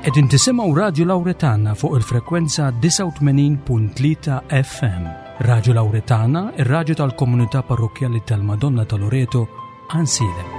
Qegħdin tisimgħu Radju Lawretana fuq il-frekwenza 89.3 FM. Radju Lawretana, ir-radju tal-komunità parrokkjali tal-Madonna ta' Loreto, Għansielem.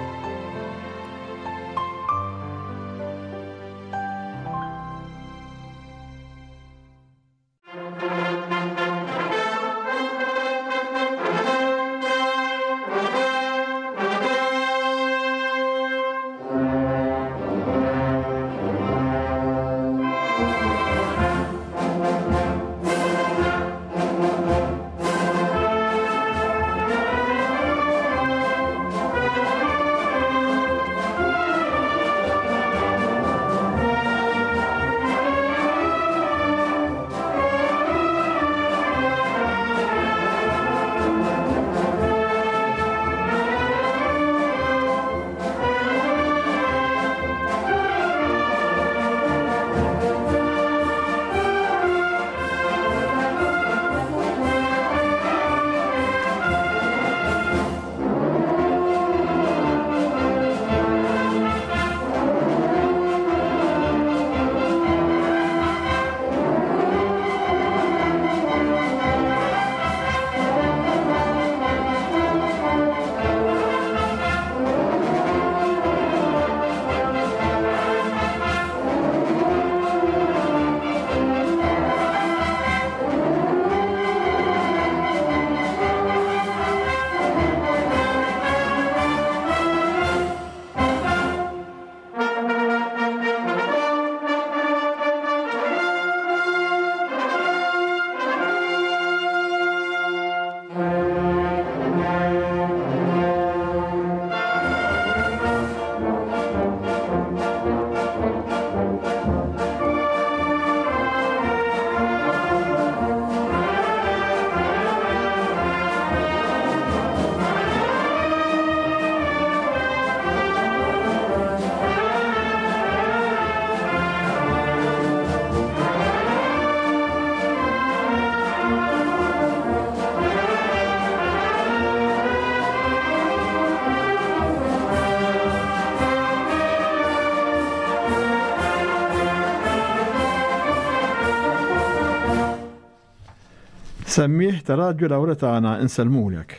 Semmiegħ ta' Radju Lawretana insellmulek.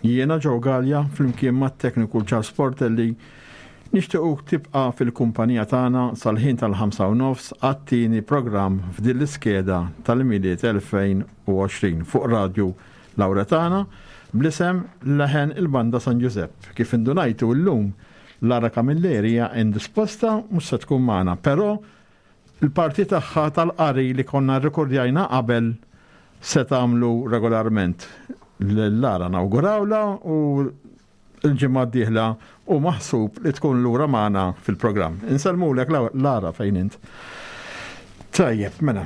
Jiena Joe Galea flimkien mat-tekniku Charles Portelli nixtiequk tibqa' fil-kumpanija tagħna sal-ħin tal-ħamsa u nofs għat-tieni programm f'din l-iskeda tal-Milied 2020 fuq Radju Lawretana bl-isem Leħen il-Banda San Ġużepp. Kif indunajtu llum Lara Camilleri hija indisposta mhux se tkun magħna, però Il-parti tagħha tal-qari li konna rrekordjajna qabel se tagħmlu regolarment. Lil Lara nawgurawlha u l-ġimgħa d-dieħla hu maħsub li tkun lura magħna fil-programm. Insellmulek Lara fejn int. Tajjeb, mela.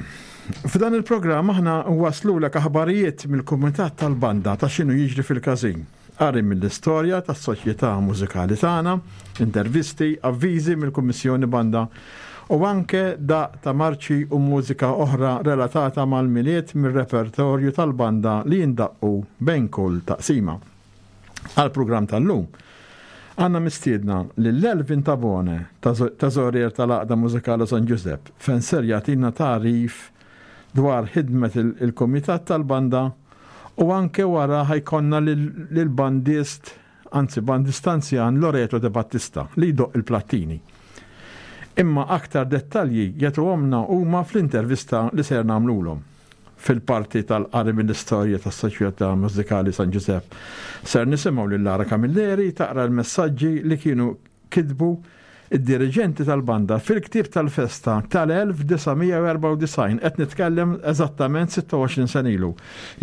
F'dan il-programm aħna waslulek aħbarijiet mill-kumitat tal-banda ta' x'inhu jiġri fil-każin. Qari mill-istorja tas-soċjetà mużikali tagħna, intervisti, avviżi mill-Kummissjoni Banda u anke daqq ta' marċi u mużika oħra relatata mal-Milied mir-repertorju tal-banda li jindaqqu bejn kull taqsima. Għall-programm tal-lum, għandna mistiedna lil Elvin Tabone, teżorier tal-Għaqda Mużikali San Ġużepp, fejn ser jagħtina tagħrif dwar ħidmet il-kumitat tal-banda u anke wara ħa jkollna lill-bandist, anzi bandist anzjan Loreto De Battista li jdoqq il-plattini. Imma aktar dettalji jagħtuhomlna huma fl-intervista li ser nagħmlulhom. Fil-parti tal-qari mill-istorja tas-Soċjetà Mużikali San Ġużepp ser nisimgħu lil Lara Camilleri taqra l-messaġġi li kienu kitbu d-diriġenti tal-banda fil-ktieb tal-festa tal-1994, qed nitkellem eżattament 26 sena ilu.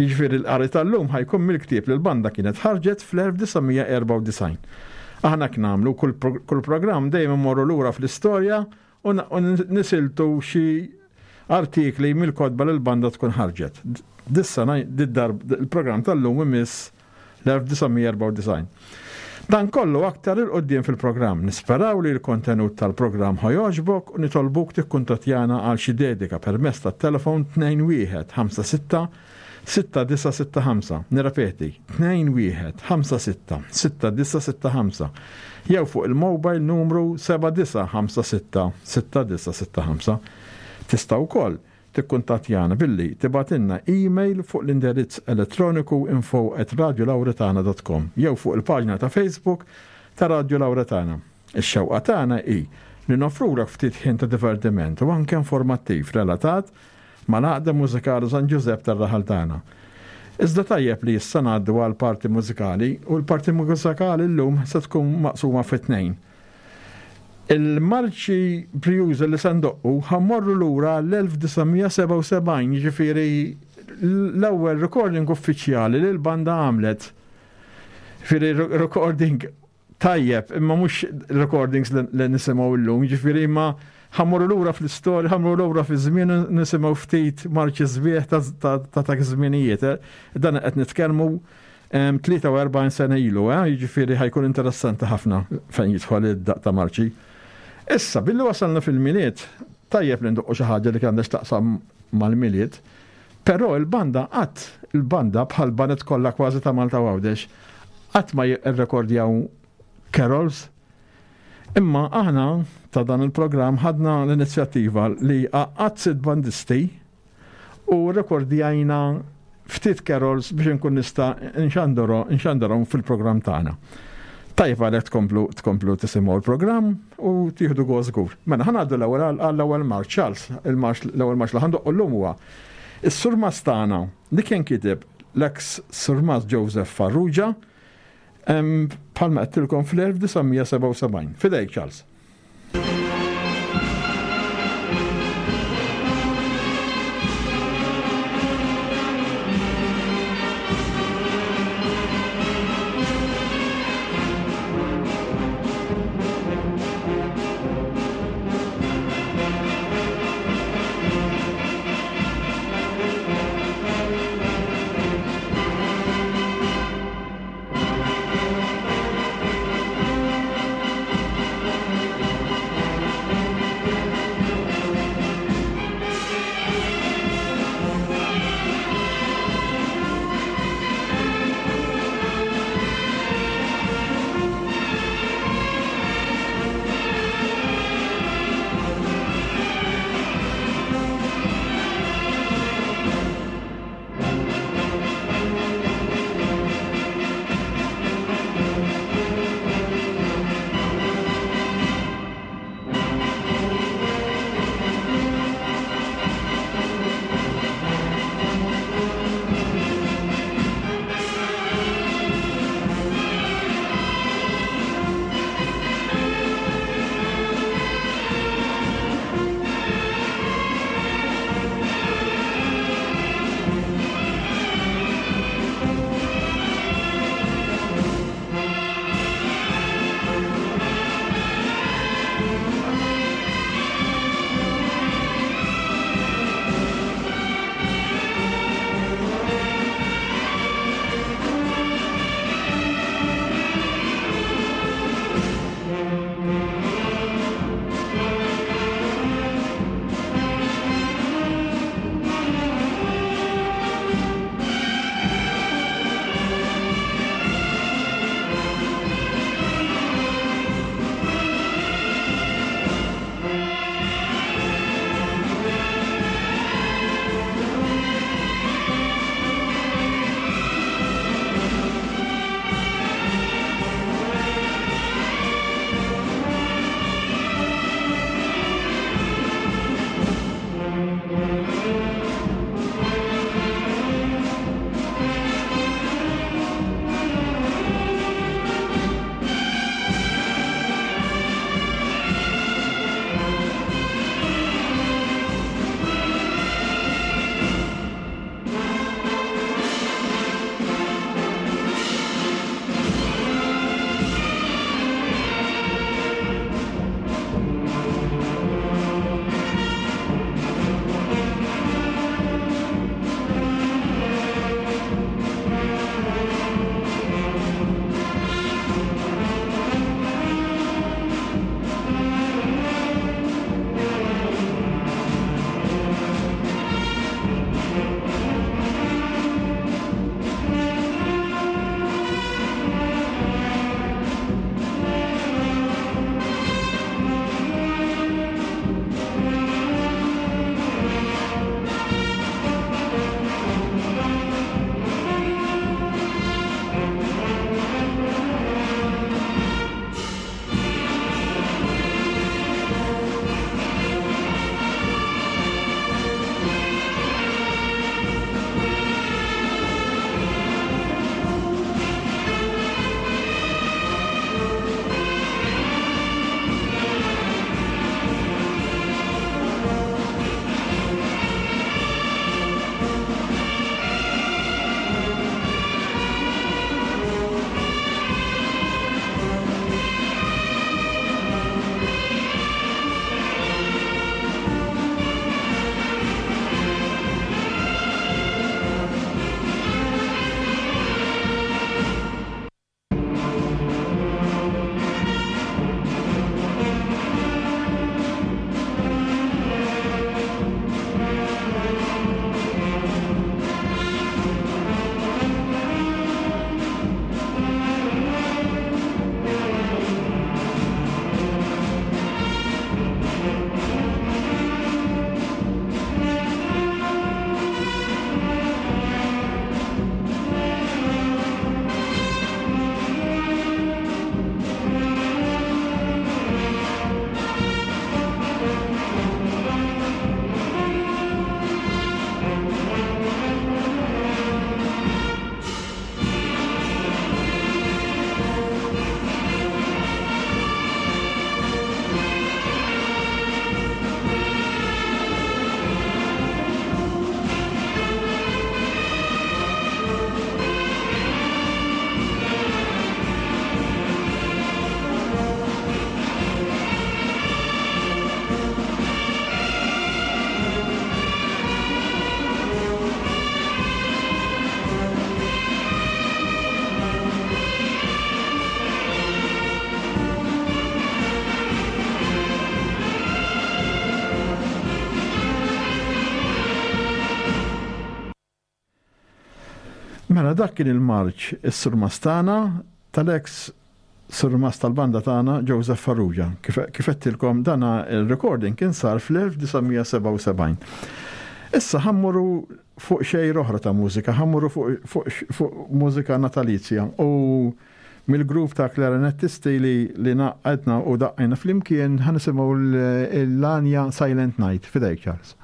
Jiġifieri l-qari tal-lum ħa jkun mill-ktieb li l-banda kienet ħarġet fl-1994. Aħna hekk nagħmlu, kull programm dejjem immorru lura fl-istorja u nisiltu xi artikli mill-kotba li l-banda tkun ħarġet. Dis-sena, il-programm tal-lum imiss l-1994. Dan kollu aktar 'il quddiem fil-programm. Nisperaw li l-kontenut tal-programm ħa jogħġbok u nitolbuk tikkuntattjana għal xi dedika permezz tat-telefon 2156 6965. Nirrepeti, 21 56 6965 jew fuq il-mobile numru 7956 6965. Tista' wkoll tikkuntattjana billi tibgħatilna email fuq l-indirizz elettroniku info@radiolauretana.com jew fuq il-paġna ta' Facebook ta' Radju Lauretana. Ix-xewqa tagħna hi li noffrulek ftit ħin ta' divertiment u anke informattiv relatat mal-Għaqda Mużikali San Ġużepp tar-raħal tagħna. Iżda tajjeb li issa ngħaddu għall-parti mużikali u l-parti mużikali llum se tkun maqsuma fi tnejn. Il-marċi brijuża li se ndoqqu ħa mmorru lura l-1977, jiġifieri l-ewwel recording uffiċjali li l-banda għamlet. Jiġifieri recording tajjeb, imma mhux recordings li nisimgħu llum, jiġifieri imma ħa mmorru lura fl-istorja, ħa mmorru lura fiż-żmien nisimgħu ftit marċi sbieħ ta' dak iż-żminijiet. Dan qed nitkellmu 43 sena ilu, eh? jiġifieri ħajkun interessanti ħafna fejn jidħol id-daq ta' marċi. Issa, billi wasalna fil-Milied, tajjeb li ndoqqu xi ħaġa li għandha x'taqsam mal-Milied, però il-banda qatt, il-banda bħal baned kollha kważi ta' Malta u Għawdex, qatt ma jirrekordjaw carols. Imma aħna ta' dan il-programm ħadna l-inizjattiva li għaqqadt sitt bandisti u rrekordjajna ftit carols biex inkun nista' nxandarhom fil-programm tagħna. Tajjeb għalhekk tkomplu tkomplu tisimgħu l-programm u tieħdu gost żgur. Mela ħa ngħaddu l-ewwel għall-ewwel marċ, Charles, il-marċ l-ewwel marċ li ħa ndoqqu llum huwa is-surmast tagħna li kien kiteb l-eks surmast Joseph Farrugia bħalma għedtilkom fl-1977. Fidejk Charles. Mela dak kien il-marċ is-surmast tagħna tal-eks surmast tal-banda tagħna Joseph Farrugia. Kif għedtilkom dana il-recording kien sar fl-1977. Issa ħammuru fuq xejra oħra ta' mużika, ħammuru fuq mużika natalizja u mill-grupp ta' klarinettisti li li naqqadna u daqqajna flimkien ħa nisimgħu l-għanja Silent Night. Fidejk Charles.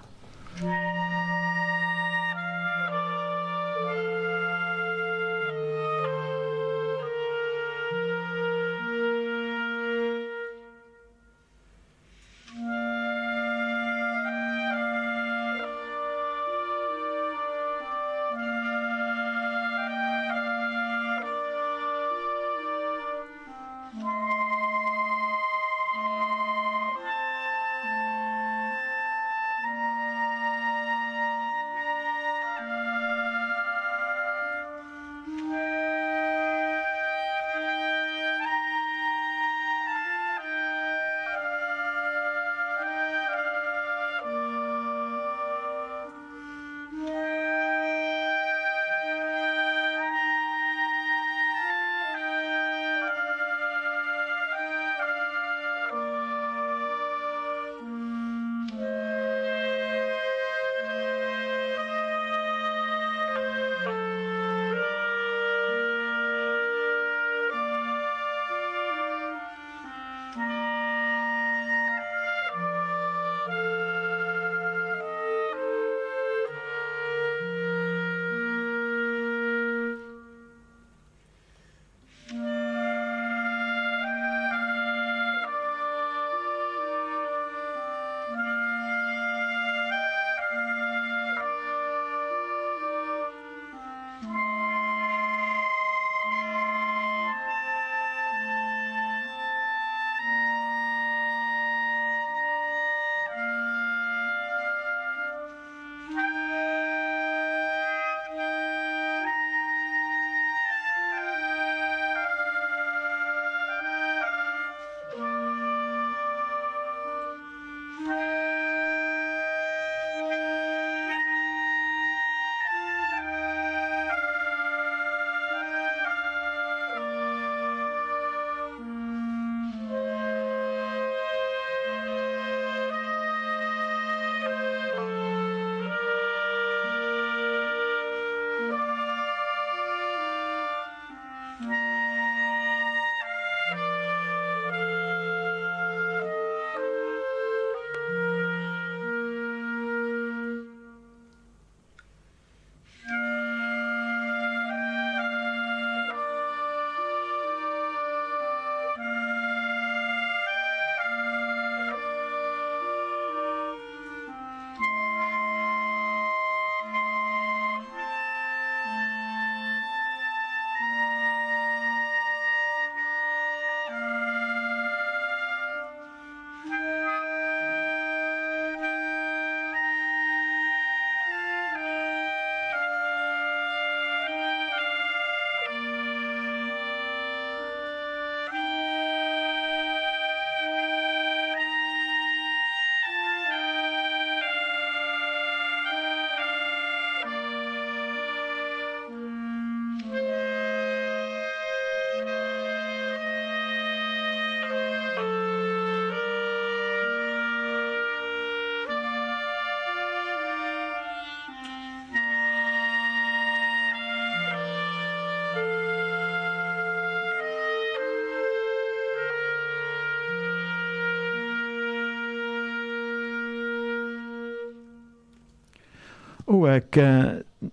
U hekk eh,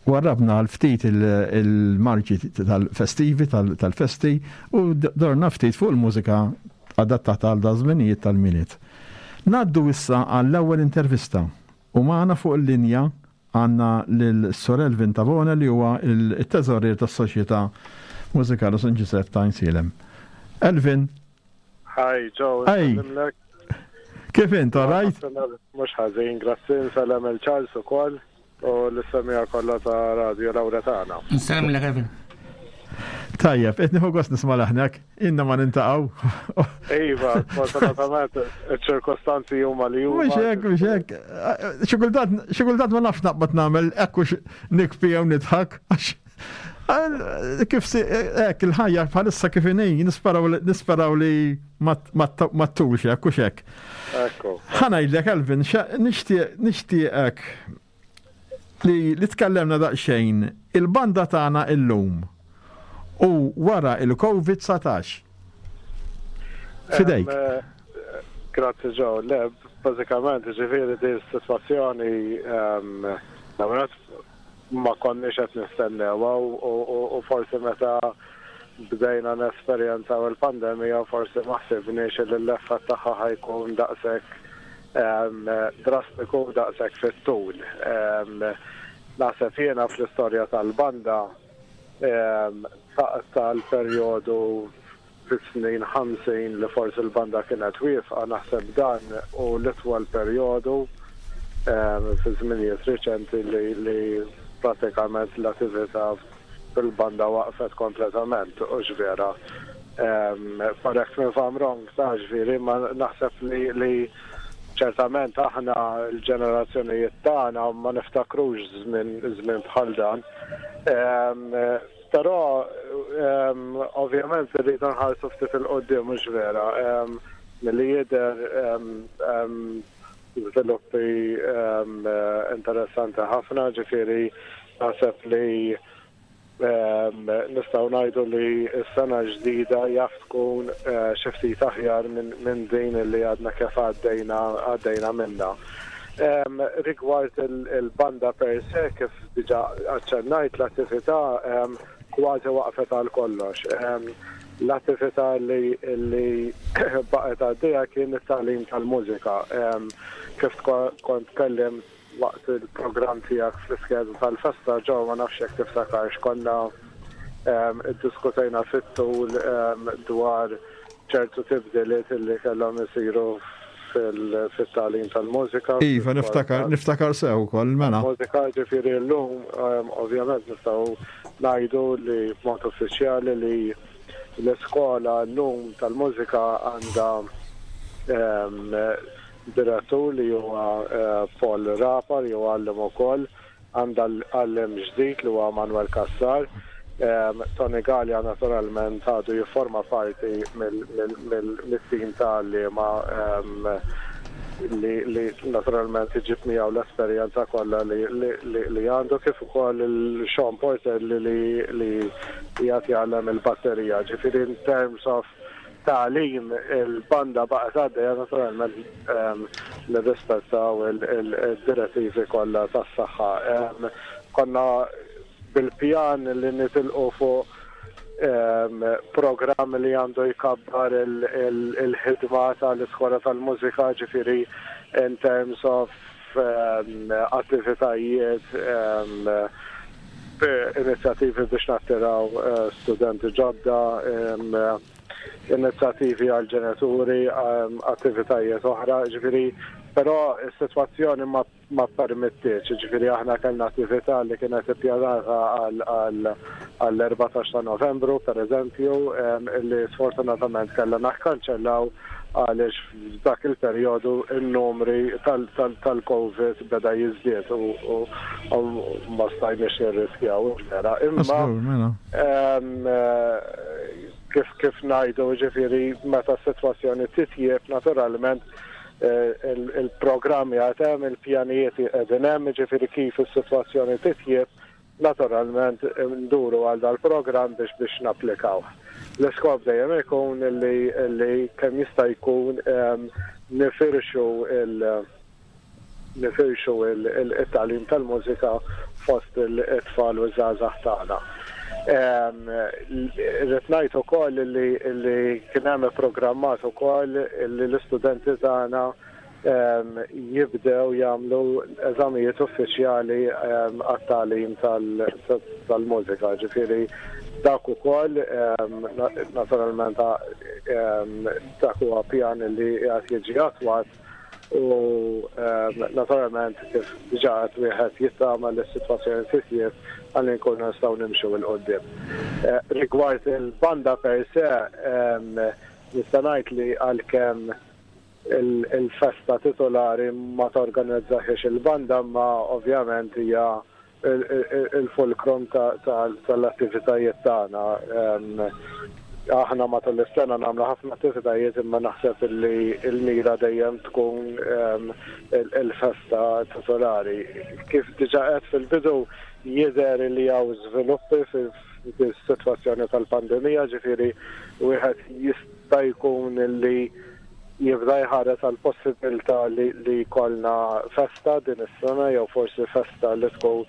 warrabna għal ftit il-marċi tal-festivi, tal-festi, u dorna ftit fuq il-mużika adattata għal dażminijiet tal-miliet. Naddu issa għall-ewwel intervista u magħna fuq il-linja għandna lil Sor Elvin Tavone li huwa il-teżorier tas-Soċjetà Mużikali San Ġużepp ta' Għajnsielem. Elvin, Hi, Joe, Hey. Kif int, all right? Mhux ħażin, grazzi, nsellem il Charles ukoll u l-semija kollha ta' Radio Lauretana. Nsellem lil Kevin. Tajjeb, qed nieħu gost nisma' leħnek, inna ma nintaqgħu. Iva, sfortunatament iċ-ċirkostanzi huma li huma. Mhux hekk, mhux hekk. Xi kultant ma nafx naqbad nagħmel hekk hux nikbi jew nidħak għax. Kif si, hekk il-ħajja bħalissa kif inhi, nisperaw li ma ttulx hekk u xek. Ekku. Ħa ngħidlek Elvin, nixtieqek li li tkellemna daqsxejn il-banda tagħna illum u wara il-Covid-19. Fidejk. Eh, grazzi Joe. Le, bażikament, ġifieri din is-sitwazzjoni ma konniex qed nistennewha u forsi meta bdejna nesperjenzaw il-pandemija forsi ma ħsibniex li l-effett tagħha ħa jkun daqshekk drastiku u daqshekk fit-tul. Naħseb jiena fl-istorja tal-banda tal-perjodu fis-snin 50 li forsi l-banda kienet wieqfa, naħseb dan hu l-itwal perjodu fi żminijiet riċenti li pratikament l-attività fil-banda waqfet kompletament, hux vera? Correct me if I'm wrong, ta' ġifieri, ma naħseb li ċertament aħna l-ġenerazzjonijiet tagħna ma niftakrux żmien bħal dan. Però ovvjament irridu nħarsu ftit 'il quddiem mhux vera. Milli jidher żviluppi interessanti ħafna, ġifieri naħseb li nistgħu ngħidu li s-sena l-ġdida jaf tkun xi ftit aħjar minn din li għadna kif għaddejna għaddejna minnha. Rigward il-banda per se, kif diġà aċċennajt, l-attività kważi waqfet għal kollox. L-attività li baqgħet għaddejja kien it-tagħlim tal-mużika. Kif kont tkellimt waqt il-programm tiegħek fl-iskeda tal-festa, Joe, ma nafx jekk tiftakarx, konna iddiskutejna fit-tul dwar ċertu tibdiliet li kellhom isiru fit-tagħlim tal-mużika. Iva, niftakar, niftakar sew ukoll, mela. Mużika ġifieri llum ovvjament nistgħu ngħidu li b'mod uffiċjali li l-iskola llum tal-mużika għandha direttur li huwa Paul Rapa li huwa għalliem ukoll. Għandha għalliem ġdid li huwa Manuel Cassar. Tony Galea naturalment għadu jifforma parti mit-tim ta' għalliema li naturalment iġib miegħu l-esperjenza kollha li għandu kif ukoll il-Sean Portelli li qiegħed jgħallem il-batterija. Ġifieri in terms of tagħlim il-banda baqgħet għaddejja naturalment nirrispettaw il-direttivi kollha tas-saħħa. Konna bil-pjan li nitilqu fuq programm li għandu jkabbar il-ħidma tal-iskola tal-mużika, ġifieri in terms of attivitajiet, inizjattivi biex nattiraw studenti ġodda, inizjattivi għall-ġenituri, attivitajiet oħra, ġifieri, però s-sitwazzjoni ma ma ppermettietx, jiġifieri aħna kellna attività li kienet ippjanata għall-14 ta' Novembru, pereżempju, li sfortunatament kellna nakkanċellaw għaliex f'dak il-perjodu n-numri tal-Covid beda jiżdied u ma stajniex nirriskjaw, vera. Imma mela. kif kif ngħidu, jiġifieri meta s-sitwazzjoni titjieb naturalment il-programmi għad hemm, il-pjanijiet qegħdin hemm, jiġifieri kif is-sitwazzjoni titjieb, naturalment nduru għal dal-programm biex biex napplikawh. L-iskop dejjem ikun li li kemm jista' jkun nifirxu il nifirxu il-tagħlim tal-mużika fost it-tfal u ż-żgħażagħ tagħna. Irrid ngħid ukoll li li kien hemm ipprogrammat ukoll li l-istudenti tagħna jibdew jagħmlu eżamijiet uffiċjali għat-tagħlim tal-mużika, ġifieri dak ukoll naturalment dak huwa pjan li qiegħed jiġi attwat u naturalment kif diġà qed wieħed jittama li s-sitwazzjoni titjieb ħalli nkunu nistgħu nimxu 'l quddiem. Rigward il-banda per se nista' ngħid li għalkemm il-festa titolari ma torganizzahiex il-banda imma ovvjament hija Il-fulcrum tal-attivitajiet tagħna. Aħna matul is-sena nagħmlu ħafna attivitajiet imma naħseb li l-mira dejjem tkun il-festa titolari. Kif diġà għedt fil-bidu jidher li hawn żviluppi fis-sitwazzjoni tal-pandemija, ġifieri wieħed jista' jkun li jibda jħares għall-possibbiltà li jkollna festa din is-sena jew forsi festa li tkun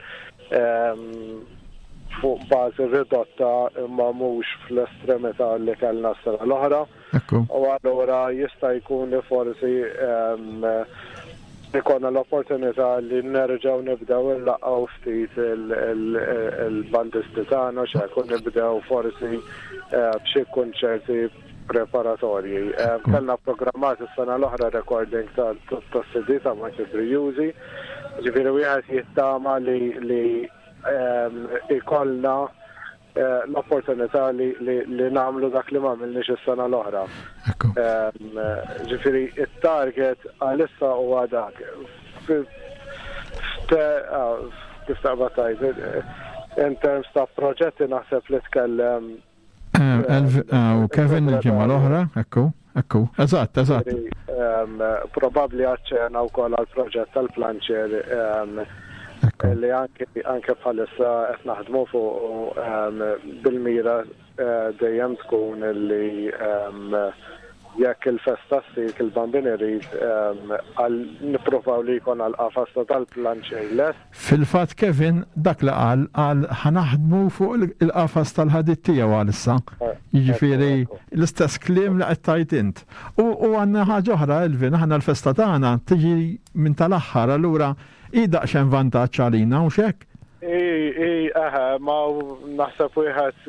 fuq bażi ridotta imma mhux fl-estremità li kellna s-sena l-oħra. U allura jista' jkun li forsi ikollna l-opportunità li nerġgħu nibdew inlaqqgħu ftit il-bandisti tagħna x'hekk u nibdew forsi b'xi kunċerti preparatorji. Kellna programmat is-sena l-oħra recording tas-CD ta' Michael Brijużi, ġifieri wieħed jittama li li ikollna l-opportunità li li nagħmlu dak li m'għamilniex is-sena l-oħra. Ġifieri it-target għalissa huwa dak. Kif taqbad tgħid, in terms ta' proġetti naħseb li tkellem U Kevin il-ġimgħa l-oħra, ekku, ekku, eżatt, eżatt. Probabbli għaċċena wkoll għal proġett tal-planċer li anke bħalissa qed naħdmu fuq bil-mira eh, dejjem tkun li Jekk il-festa ssir kif il-Bambin irid, għal nippruvaw li jkollna l-qafas ta' tal-planċier lest. Fil-fatt Kevin dak li qal, qal ħa naħdmu fuq il-qafas tal-ħadid tiegħu għalissa. Jiġifieri l-istess kliem li qed tgħid int. U għandna ħaġa oħra Elvin, aħna l-festa tagħna tiġi minn tal-aħħar allura hi daqsxejn vantaġġ għalina hux hekk? I, i, eħe, ma naħseb wieħed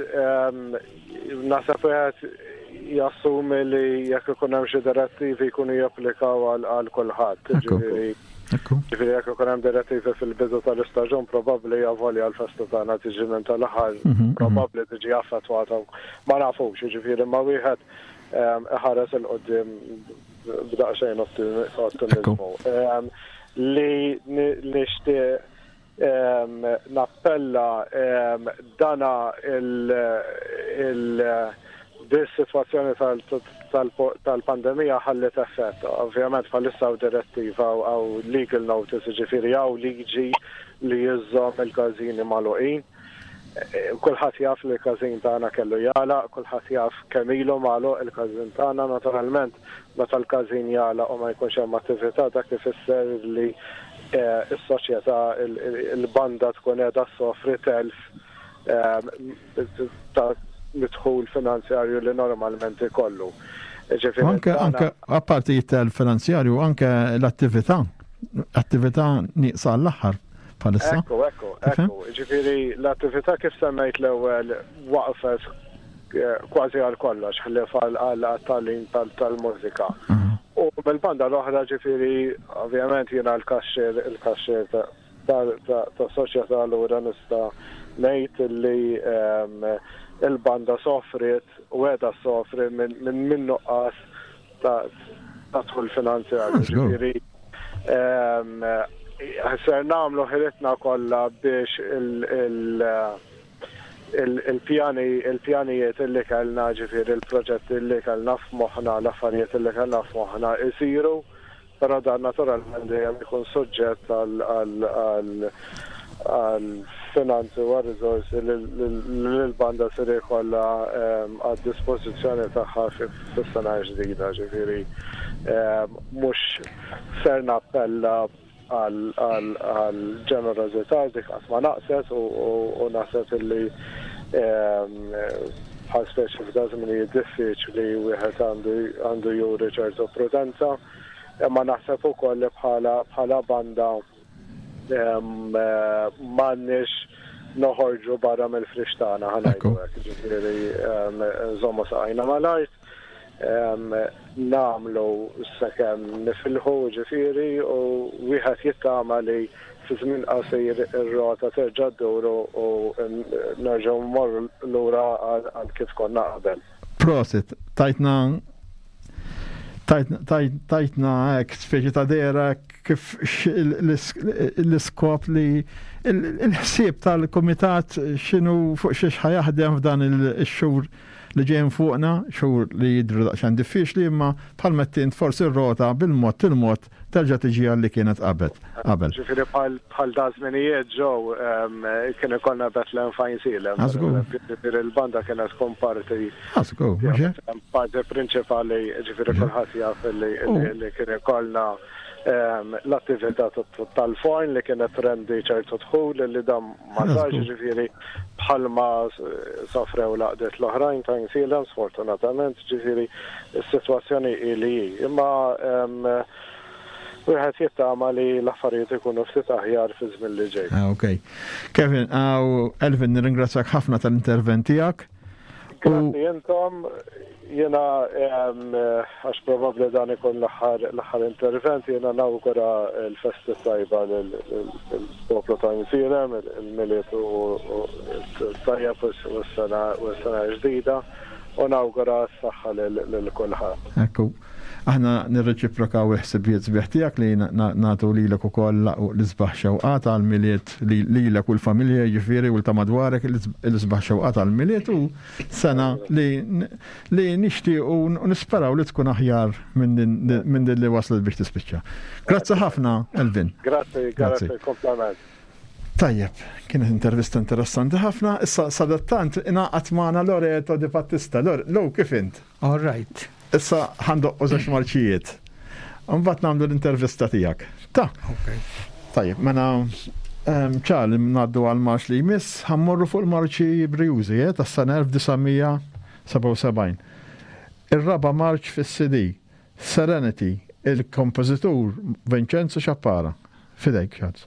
Naħseb wieħed jassumi li jekk ikun hemm xi direttivi jkunu japplikaw għal kulħadd. Ġifieri ġifieri jekk ikun hemm direttivi fil-bidu tal-istaġun probabbli avolja l-festa tagħna tiġi minn tal-aħħar probabbli tiġi affettwata ma nafux, jiġifieri ma wieħed iħares 'il quddiem b'daqsxejn ottimiżmu. Li nixtieq Nappella dana il dis-sitwazzjoni tal-pandemija ħalliet effett. Ovvjament bħalissa hawn direttiva hawn legal notice, jiġifieri hawn liġi li żżomm il-każini magħluqin. Kulħadd jaf li l-każin tagħna kellu jagħlaq, kulħadd jaf kemm ilu magħluq il-każin tagħna. Naturalment meta l-każin jagħlaq u ma jkunx hemm attività dak ifisser li s-soċjetà, il-banda tkun qiegħda ssofri telf ta' mid-dħul finanzjarju li normalment ikollu. Anke anke apparti t-telf finanzjarju anke l-attività, attività nieqsa għall-aħħar bħalissa. Ekku, ekku, ekku. Ġifieri l-attività kif semmejt l-ewwel waqfet kważi għal kollox ħlief għal tagħlim tal-mużika. U mill-banda l-oħra ġifieri ovvjament jiena l-kaxxier il-kaxxier ta' soċjetà allura nista' ngħid li il-banda sofriet u qiegħda ssofri minn nuqqas ta' dħul finanzjarju. Ġifieri ser nagħmlu ħilitna kollha biex il-pjani il-pjanijiet li kellna ġifieri l-proġetti li kellna f'moħħna l-affarijiet li kellna f'moħħna jsiru. Però dan naturalment dejjem ikun suġġett għal finanzi u għar-riżorsi li l-banda ser ikollha għad-dispożizzjoni tagħha fis-sena l-ġdida. Ġifieri mhux ser nappella għal ġenerożità dik qatt ma naqset u naħseb illi bħal speċi f'da żminijiet diffiċli wieħed għandu juri ċertu prudenza. Imma naħseb ukoll li bħala bħala banda m'għandniex noħorġu barra mill-frix tagħna ħa ngħidu hekk, ġifieri nżommu saqajna mal-art, nagħmlu sakemm nifilħu ġifieri u wieħed jittama li fi żmien qasir ir-rota terġa' ddur u nerġgħu mmorru lura għal kif konna qabel. Prosit, tajtna tajtna hekk speċi ta' dehra hekk. kif l-iskop li il-ħsieb tal-kumitat x'inhu fuq xiex ħa jaħdem f'dan ix-xhur li ġejjin fuqna, xhur li jidhru daqsxejn diffiċli imma bħalma għedt int forsi r-rota bil-mod il-mod terġa' tiġi għal li kienet qabel. Ġifieri bħal da żminijiet ġew kien ikollna Bethlehem Fajnsielem. Ġifieri l-banda kienet tkun parti. Parti prinċipali, ġifieri kulħadd jaf li kien ikollna l-attività tal-forn li kienet trendi ċertu dħul li dan ma sarx, ġifieri bħalma sofrew l-għaqdiet l-oħrajn ta' Għajnsielem sfortunatament, ġifieri s-sitwazzjoni hi li hi. Imma wieħed jittama li l-affarijiet ikunu ftit aħjar fiż-żmien li ġej. Ah, ok. Kevin, Elvin, nirringrazzjak ħafna tal-intervent tiegħek. Grazzi intom, jiena għax probabbli dan ikun l-aħħar intervent, jiena nawgura l-festi tajba lill-poplu ta' Għajnsielem, il-Milied u tajjeb u s-sena ġdida u nawgura s-saħħa lil kulħadd. Ekku. Aħna nirreċiprokaw il-ħsibijiet sbieħ tiegħek li nagħtu lilek ukoll l-isbaħ xewqat għall-Milied lilek u l-familja jiġifieri u ta' madwarek l-isbaħ xewqat għall-Milied u sena li li nixtiequ u nisperaw li tkun aħjar minn din li waslet biex tispiċċa. Grazzi ħafna, Elvin. Grazzi, grazzi, kompliment. Tajjeb, kienet intervista interessanti ħafna. Issa sadattant ingħaqad magħna Loreto Di Battista. Lor, kif int? All right. Issa ħandoqqu żewġ marċijiet. Mbagħad nagħmlu l-intervista tiegħek. Ta. Okay. Tajjeb, mela ċar li ngħaddu għal marċ li jmiss, ħammorru fuq il-marċi brijużi eh, tas-sena 1977. Ir-raba' marċ fis-CD, Serenity, il-kompożitur Vincenzo Ciappara. Fidejk, Charles.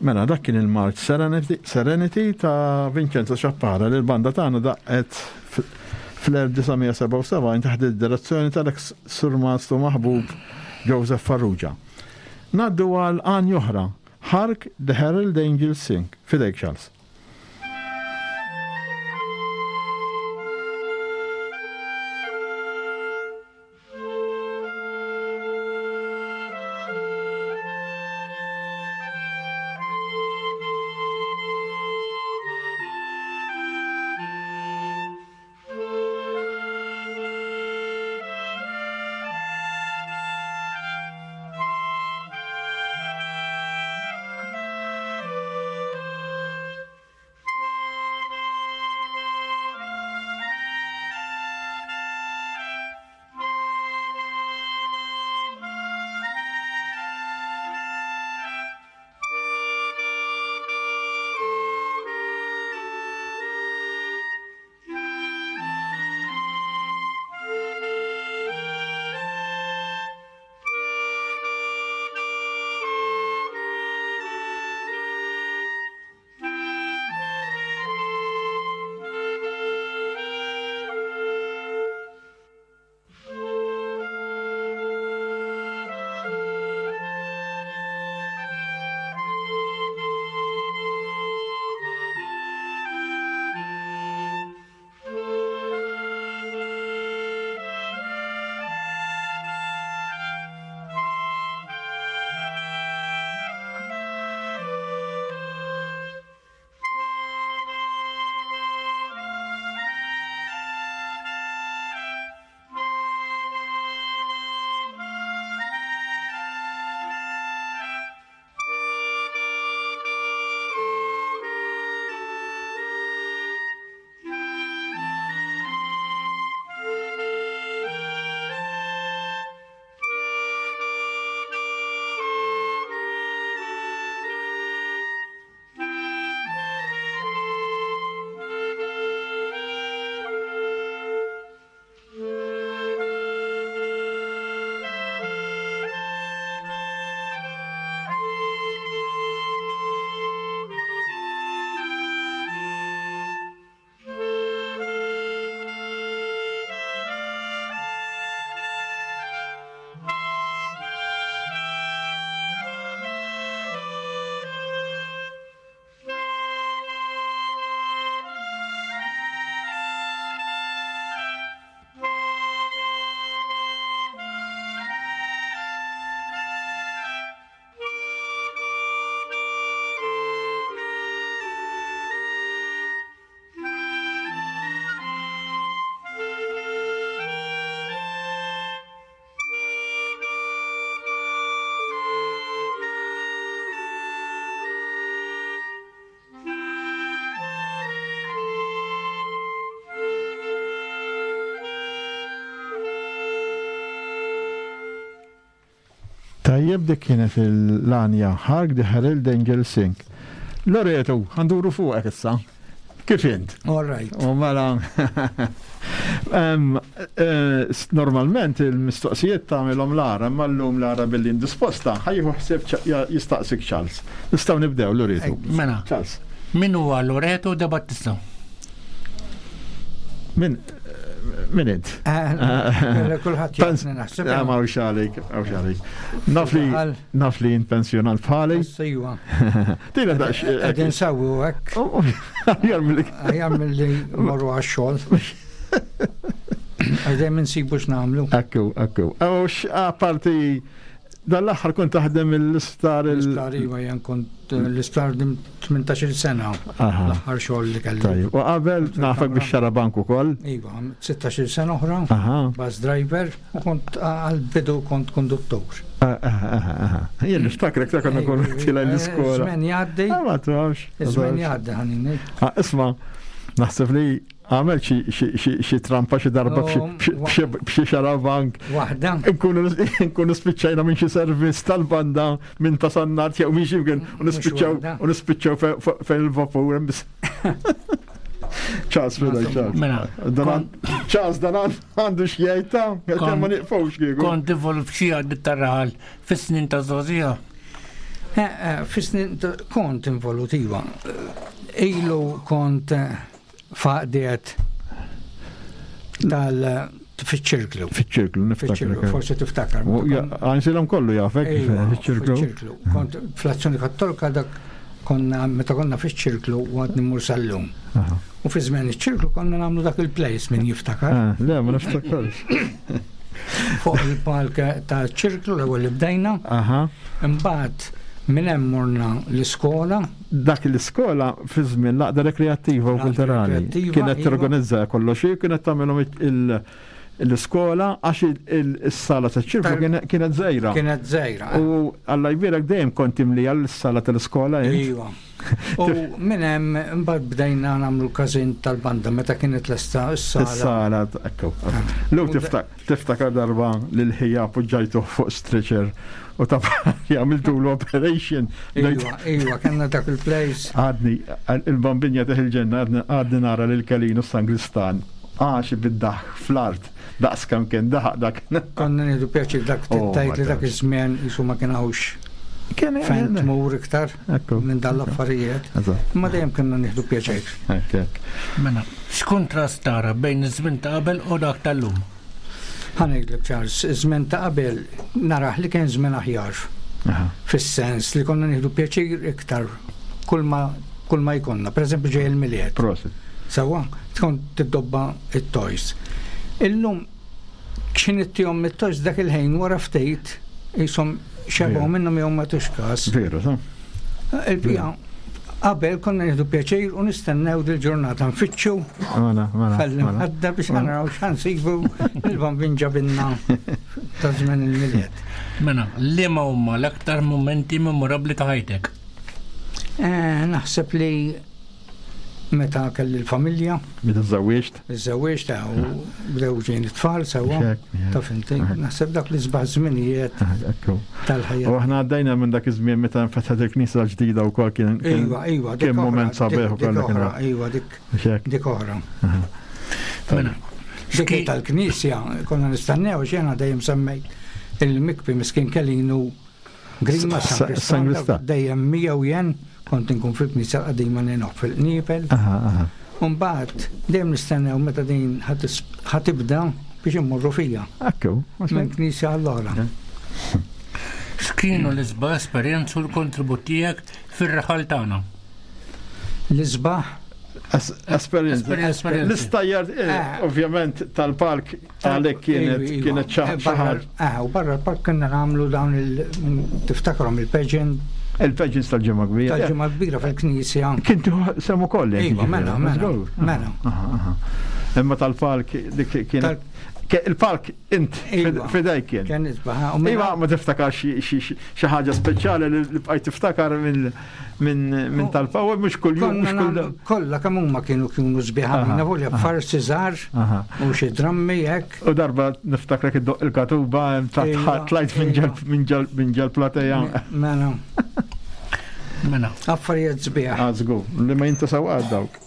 Mela dak kien il-March Serenity, Serenity ta' Vincenzo Ciappara li l-banda tagħna daqqet fl-1977 taħt id-direzzjoni tal-eks surmastu maħbub Joseph Farrugia. Ngħaddu għal għanja oħra, Hark the Herald Angels Sing, f'idejk Charles. Tajjeb dik kienet l-għanja Hark the Herald Angels Sing. Loreto, ħanduru fuqek issa. Kif int? All right. U mela eh, normalment il-mistoqsijiet tagħmilhom Lara, imma llum Lara billi indisposta ħajju ħsieb jistaqsik Charles. Nistgħu nibdew Loreto. Mela. Charles. Min huwa Loreto de Battista? Min min int? Eh, eh, kulħadd jafni naħseb. Ma hawnx għalik, hawnx għalik. Naf li naf li int pensjonant bħali. Sejwa. Tina daqs. Qegħdin sewwu hekk. Oh, oh, aħjar milli. Aħjar milli morru għax-xogħol. Għax insibu x'nagħmlu. Ekku, ekku. Għax apparti Dan l-aħħar kont taħdem l-isptar il. L-isptar iva jien kont eh, l-isptar 18-il sena. L-aħħar xogħol li kelli. Tajjeb, u qabel nafek biex xarabank ukoll. Iva, 16-il sena oħra. Bus driver u kont għal-bidu kont konduttur. Jien niftakrek ta' konna konna tila l-iskola. Żmien jgħaddi. Ah, ma tafx. Żmien jgħaddi ħanini. Ah, isma' naħseb li Għamel xi trampa xi darba b'xi xarabank. Waħda. Nkunu spiċċajna minn xi servizz tal-banda minn ta' Sannat jew minn xi mkien u nispiċċaw u nispiċċaw fejn il-vapur hemm biss. Ċas, fidaj, ċas. Mela. Ċas, dan għandu xjajta, kemm ma nieqfux kieku. Kont involut f'xi għaddit tar-raħal fis-snin ta' żgħożija. Eh, eh, Fis-snin kont involut iva. Ilu kont eh, faqdiet tal fiċ-ċirklu. Fiċ-ċirklu, niftakar. Forsi tiftakar. Għansilhom kollu jafek fiċ-ċirklu. Fiċ-ċirklu. Kont fl-azzjoni kattolika dak konna meta konna fiċ-ċirklu u għad nimur sal-lum. U fi żmien iċ-ċirklu konna nagħmlu dak il-place min jiftakar. Ah, le, ma niftakarx. Fuq il-palk ta' ċirklu l-ewwel li bdejna. Imbagħad minn hemm morna l-iskola. Dak l-iskola fi żmien l-għaqda rekreattiva u kulturali. Kienet iva. torganizza kollox kienet tagħmilhom l-iskola għax is-sala ta' ċirku kienet żgħira. Kienet żgħira. U Alla jbierek dejjem kont imlija l-sala tal-iskola. Iva. U minn hemm imbagħad bdejna nagħmlu każin tal-banda meta kienet lesta s-sala. Is-sala, ekku. Ah. Lu tiftakar darba lil ħija poġġajtuh fuq stretcher u ta' għamiltu l-operation. Iva, iva, kellna dak il-place. Għadni, il-bambinja teħ il-ġenna, għadni nara lil Kelinu Sangristan għax bid-daħ fl-art daqs kemm kien daħaq dak. Konna nieħdu pjaċir dak oh tgħid li dak iż-żmien jisu ma kien hawnx. Kien fejn tmur iktar minn dan l-affarijiet. Imma dejjem kienna nieħdu pjaċir. Mela, x'kuntrast tara bejn iż-żmien ta' qabel u dak tal-lum? Ħa ngħidlek Charles, iż-żmien ta' qabel narah li kien żmien aħjar. Fis-sens li konna nieħdu pjaċir iktar kull ma kull ma jkollna. Per eżempju ġej il-Milied. Prosit. Sewwa, tkun tiddobba it-toys. Illum x'ħin ittihom it-toys dak il-ħin wara ftit qishom xebgħu minnhom jew ma tux każ. Veru, sa. Il-bija qabel konna nieħdu pjaċir u nistennew dil-ġurnata nfittxu mela, mela, mela. biex naraw x'ħansibu il-bambin ġabinna ta' żmien il-Milied. Mela, liema huma l-aktar mumenti memorabbli ta' ħajtek? Eh, naħseb li meta kelli l-familja. Meta żżewwiġt? Iżżewwiġt eh, u bdew ġejn it-tfal sewwa. Taf inti, naħseb dak li sbaħ żminijiet tal-ħajja. U aħna għaddejna minn dak iż-żmien meta nfetħet il-knisja l-ġdida wkoll kien. Iva, iva, kien mument sabiħ ukoll. Iva, dik dik oħra. Mela, dik tal-knisja konna nistennew xena dejjem semmejt il-mikbi miskin Kelinu Grima San Krista. Dejjem miegħu jen kont inkun fil-knisja l-qadima ninoq fil-qniepel. Umbagħad dejjem nistennew meta din ħatibda biex immorru fija. Ekku. Minn knisja għall-oħra. X'kienu l-isbaħ esperjenzi u l-kontribut tiegħek fir-raħal tagħna? L-isbaħ Esperjenza. L-istajjar, eh, eh. ovvjament, tal-park għalek kienet kienet ċaħar. Eh, u barra l-park kienna nagħmlu dawn il tiftakrom il-pageant. Il-pageants tal-ġimgħa kbira. Tal-ġimgħa kbira fil-knisja. Kien semu kolli. Iva, mela, mela. Mela. Imma tal-park dik kienet il-park int iva. fidejk kien. Kien isbaħ. Iva ma tiftakar xi ħaġa speċjali li bqajt tiftakar minn tal-power mhux kuljum mhux kull. Kollha kemm huma kienu kienu sbieħ għalina volja farsi żgħar u xi drammi hekk. U darba niftakrek iddoq il-katuba iva, tlajt minn ġel plateja. Mela. Mela. Affarijiet sbieħ. Ah, żgur, li ma jintasaw għad dawk.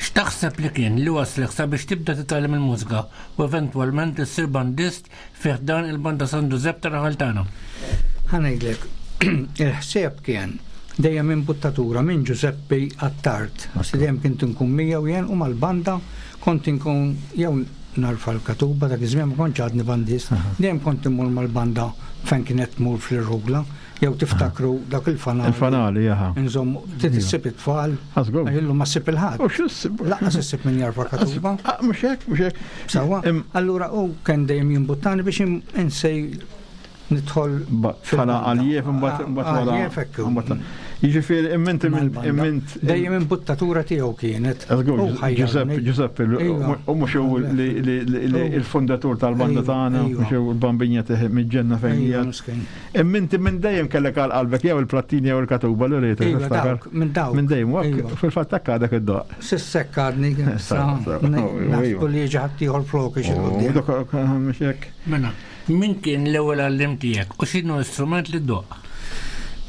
X'taħseb li kien li wasslek sabiex tibda titgħallem il-mużika u eventwalment issir bandist fi ħdan il-Banda San Ġużepp tar-raħal tagħna? Ħa ngħidlek, il-ħsieb kien dejjem imbuttatura minn Ġużeppi Attard, għax dejjem kint inkun miegħu jien u mal-banda kont inkun jew narfa' l-katuba dak iż-żmien ma kontx għadni bandist, dejjem kont immur mal-banda fejn kienet tmur fl-irħula. Jew tiftakru dak il-fanali. Il-fanali, jaha. Inżomm, trid issib it-tfal. Għażgur. Illu ma ssib il-ħadd. U x'issib? Lanqas issib min jarfa' katuba. Ah, mhux hekk, mhux hekk. Sewwa. Allura hu kien dejjem jimbuttani biex insej nidħol. Bħala għaljef imbagħad imbagħad wara. Għaljef hekk. Jiġifieri imment imment. Dejjem imbuttatura tiegħu kienet. Giuseppe, Giuseppe, u mhux hu li il-fundatur tal-banda tagħna, mhux hu l-bambinja mill-ġenna fejn hija. Imma inti minn dejjem kellek għal qalbek jew il-plattini jew il-katuba li rrid Iva, dawk, minn dawk. Minn dejjem, iva. fil-fatt hekk għadek id-doq. Sissek għadni, naħsbu li jiġi ħaddieħor floki xi quddiem. Mela, min kien l-ewwel għalliem tiegħek u x'inhu l-istrument li ddoqq?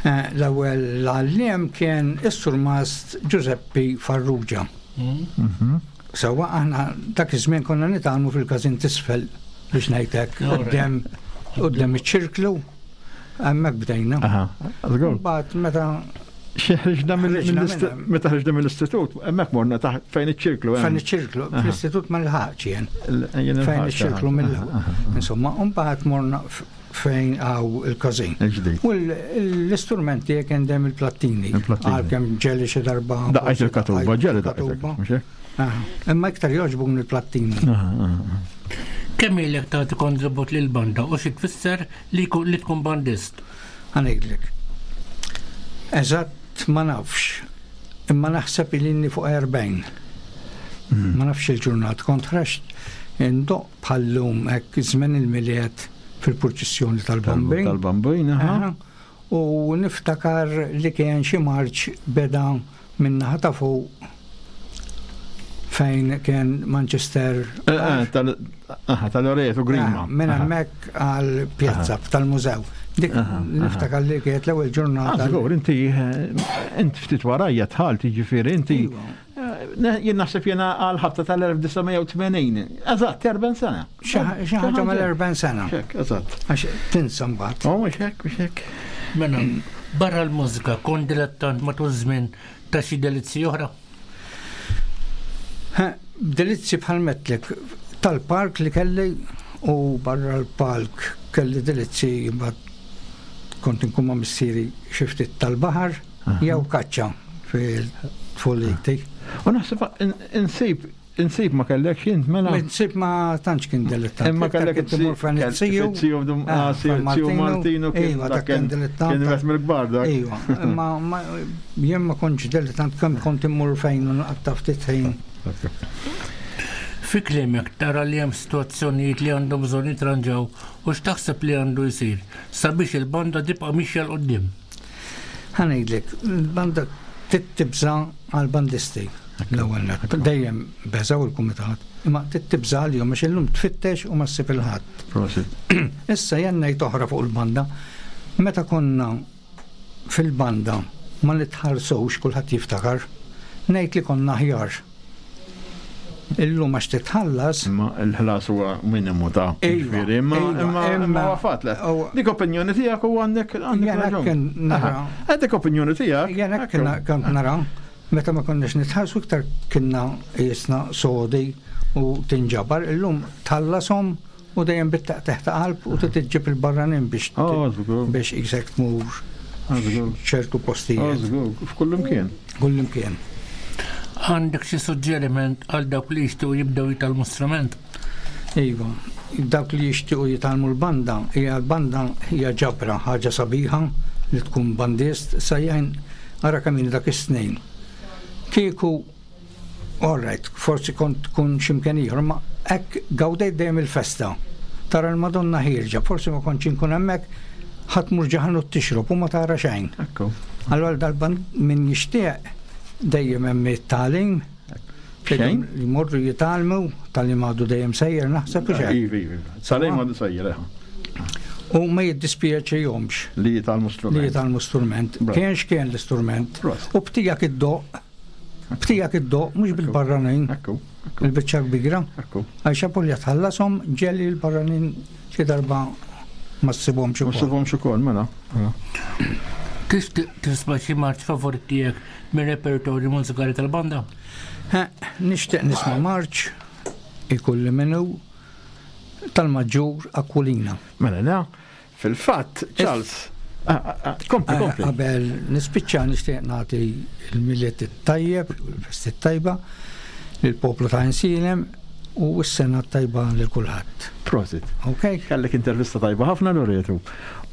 Eh, l-ewwel għalliem kien is-surmast Giuseppi Farrugia. Mhm. Sewwa aħna dak iż-żmien konna nitgħallmu fil-każin t'isfel biex ngħid hekk quddiem quddiem iċ-ċirklu. Hemmhekk bdejna. Aha, żgur. Mbagħad meta Xi ħriġna mill- Ħriġna mill-ist- minn meta ħriġna mill-istitut, hemmhekk morna taħt fejn iċ-ċirklu hemm. fejn iċ-ċirklu, fl-istitut ma nilħaqx jien. Il- jien Fejn il-ħaġa. iċ-ċirklu mill Aha, aha. Insomma, mbagħad morna f- fejn għaw il-każin. Il-ġdid. U l-istrumenti kien dejjem il-plattini. Il-plattini. Għalkemm ġeli xi darba. Daqqajt il-katuba, ġeli daqqajt il-katuba. mhux hekk? Aha. Imma iktar jogħġbuni l-plattini. Aha, aha. Kemm ilek tagħti kontribut lil banda u xi tfisser li jkun- li tkun bandist? Ħa ngħidlek. Eżatt ma nafx, imma naħseb ilni fuq 40. Ma nafx il-ġurnat, kont ħreġt indoqq bħal-lum hekk żmien il-Milied fil-purċissjoni tal-Bambin. Tal-Bambin, aha. Aha. U niftakar li kien xi marċ beda minn naħa ta' fuq fejn kien Manchester. Eh, eh, tal- aha, Tal-Loreto Grima. Ah, Minn Aha. hemmhekk għal pjazza tal-mużew. Dik Aha, aha. niftakar li kienet l-ewwel Ah, ġurnata. żgur, inti eh, int ftit warajja tħalt, jiġifieri inti Iva. eh, ne- jien naħseb jiena għal ħabta tal-1980. Eżatt, 40 sena. Xi xi ħaġa mal-40 sena. Hekk, eżatt. Għax tinsa mbagħad. Oh, mhux hekk, mhux hekk. Mela, barra l-mużika kont dilettant matul żmien ta' xi delizzi oħra? Ha, Delizzi bħal metlek tal-park li kelli u barra l-park kelli delizzi mbagħad kont inkun ma' missieri xi ftit tal-baħar jew kaċċa fil-tfuliti. U naħseb insib insib ma kellekx int mela. Insib ma tantx kien dilettant. Imma kellek kien timur fejn it-siju. It-siju dum Ah, ah, siju fejn siju Martino kien Iva, dak dak kien dilettant. Kien wieħed mill-kbar dak. Iva, imma ma- jien ma kontx dilettant kemm kont immur fejn u nqatta' ftit ħin. Fi kliemek tara li hemm sitwazzjonijiet li għandhom bżonn jitranġaw u x'taħseb li għandu jsir sabiex il-banda tibqa' mixja 'l quddiem. Ħa ngħidlek, il-banda tibża' għall-bandisti l-ewwel nett. Dejjem beżgħu il-kumitat, imma tibża' għalihom għax illum tfittex u ma ssib il-ħadd. Prosit. Issa jien ngħid oħra fuq il-banda. Meta konna fil-banda ma nitħallsux kulħadd jiftakar, ngħid li konna aħjar. Illum għax titħallas, Imma l-ħlas huwa minimu ta' Iva, ġifieri, imma iva, imma imma imma- huwa fatt le. u- Dik opinjoni tiegħek u għandek għandek Jena raġun. kien nara- Aha. Għandek opinjoni tiegħek. Jena kien kont nara, meta ma konniex nitħallsu iktar kienna jisna sodi u tinġabar, illum tħallasom u dejjem bit-taqteħ ta' qalb u titġib il-barranin biex Oh, żgur. biex isek tmur Ah, żgur. ċertu Ah, postijiet. żgur. F'kull imkien. Kull imkien. Għandek xi suġġeriment għal dawk li jixtiequ jibdew jitgħallmu strument? Iva, dawk li jixtiequ jitgħallmu l-banda, hija l-banda hija ġabra, ħaġa sabiħa li tkun bandist, sa jgħin ara kemm ili dak is-snin. Kieku, all right, forsi kont tkun x'imkien ieħor, ma hekk gawdejt dejjem il-festa. Tara l-Madonna ħierġa, forsi ma kontx inkun hemmhekk, ħadd mur ġaħan u tixrob u ma tara xejn. Ekku. Allora dal-band min jixtieq dejjem hemm it-tagħlim. Xejn? Li jmorru jitgħallmu, tal-li għadu dejjem sejjer naħseb u xejn. Iva, iva. Salej ma sejjer, eh. U ma jiddispjaċihomx Li jitgħallmu strument. li jitgħallmu strument. Bravo. Kien x'kien l-istrument. Prosit. U btijak id-doq, btijak id-doq, mhux bil-barranin, Ekku, ekku, il-biċċa kbira. ekku. Għax apolja tħallasom ġeli l-barranin xi darba ma ssibhomx Ma ukoll. ssibhomx ukoll, mela. Mela. Tixtieq tisma' xi marċ favorit tiegħek mir-repertorju mużikali tal-banda? Ha, Nixtieq nisma' marċ ikulli minnu tal-Maġġur Aquilina. Mela, la, fil-fatt, Charles, ah, ah, ah, kompli, kompli. Qabel nispiċċa nixtieq nagħti l-Milied it-tajjeb, l-festi tajba lill-poplu ta' Insilem u s-sena tajba lil kulħadd. Prosit. Ok? Kellek intervista tajba ħafna Loretu.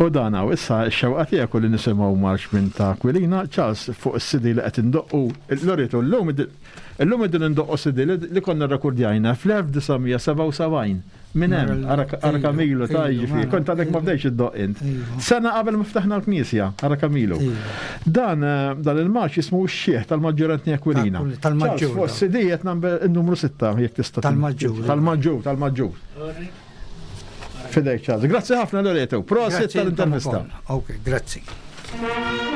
U dan hawn issa x-xewqa tiegħek u li nisimgħu marx minn ta' Aquilina, Charles fuq is-CD li qed indoqqu Loretu llum illum qegħdin indoqqu CD li li konna rrekordjajna fl-1977. Minn hemm, ara ara Kamilu ta' Ilu, jiġifieri, mela, kont għadek ma ilu. bdejx iddoq int. Iva. Sena qabel ma ftaħna l-knisja, ara Kamilu. Iva. Dan eh, dan il-marx jismu x-xieħ tal-Maġġur Anthony Aquilina. Tal- tal-Maġġur, Charles, fuq da. is-CD qed number il-numru 6 jekk tista' Tal-Maġġur. Tal-Maġġur, tal-Maġġur. Fidejk Charles. Grazzi ħafna Loreto. Prosit Grazzi tal-intervista. intom ukoll. Ok, grazzi.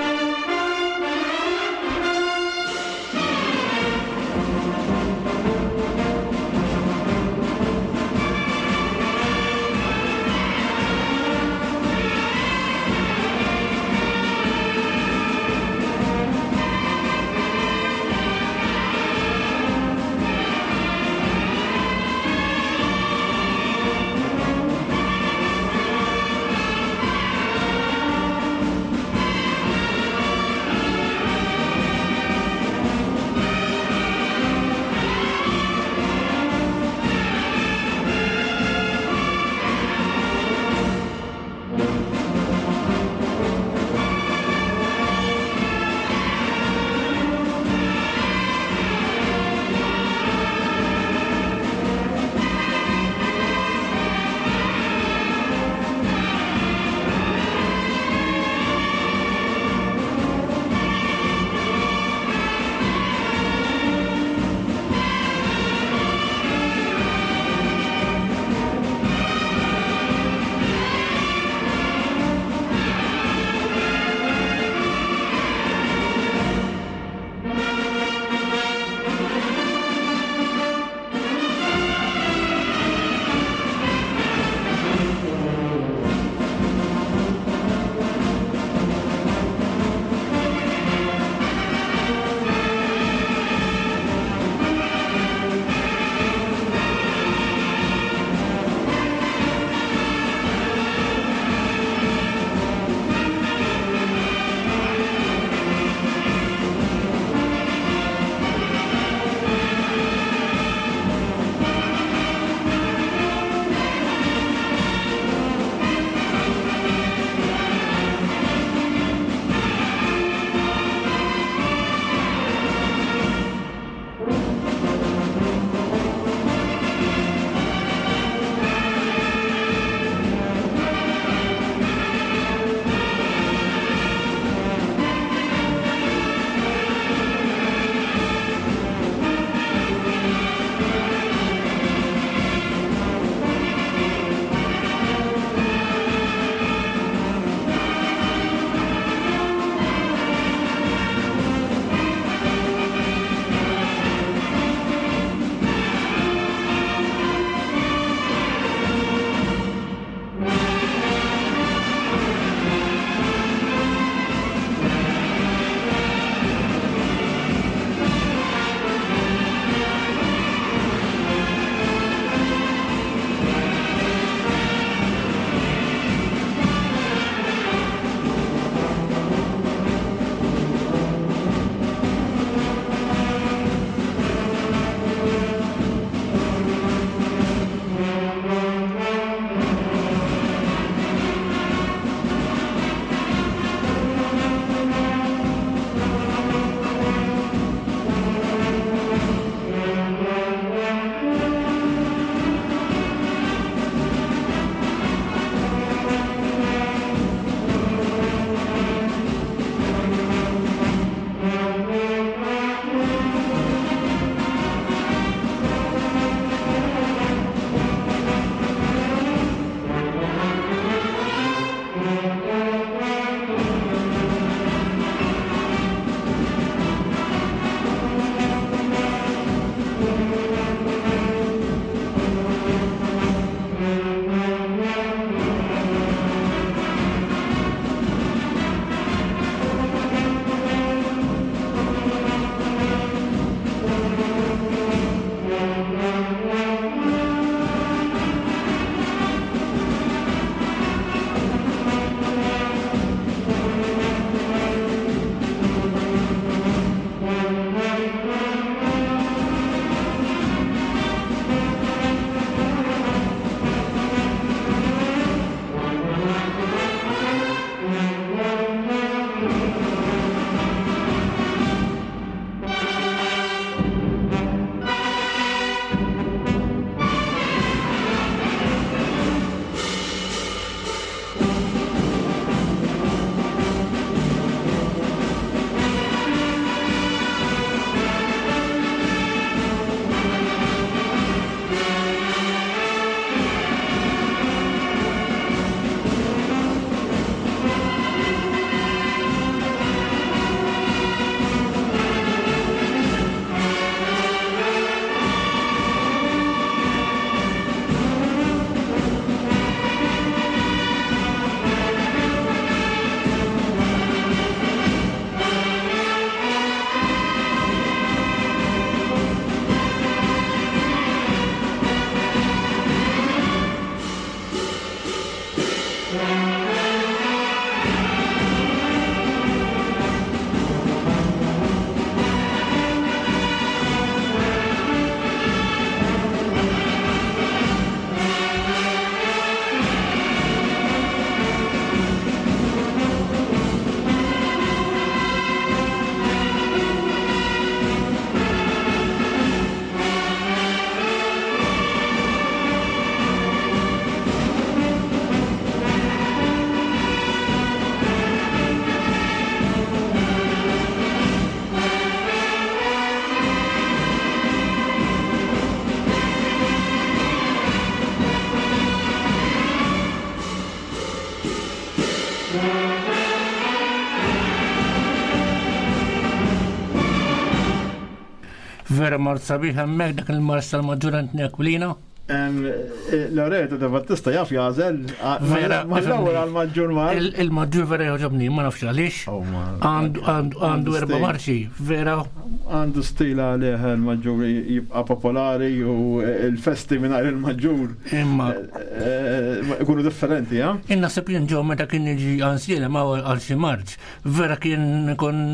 Vera mart sabiħ hemmhekk dak il-marx tal-Maġġur Anthony Aquilina. Eh, Loreto de Battista jaf jażel Vera, mal-ewwel għal-maġġur mar. Il-maġġur vera jogħġobni, ma nafx għaliex. Oh, Għandu erba' marxi, vera. Għandu stila għalih il-maġġur jibqa' popolari u il-festi mingħajr il-maġġur. Imma. Eh, ikunu differenti, ja? Innaħseb jien ġew meta kien jiġi għansiela ma għal xi marċ, vera kien ikun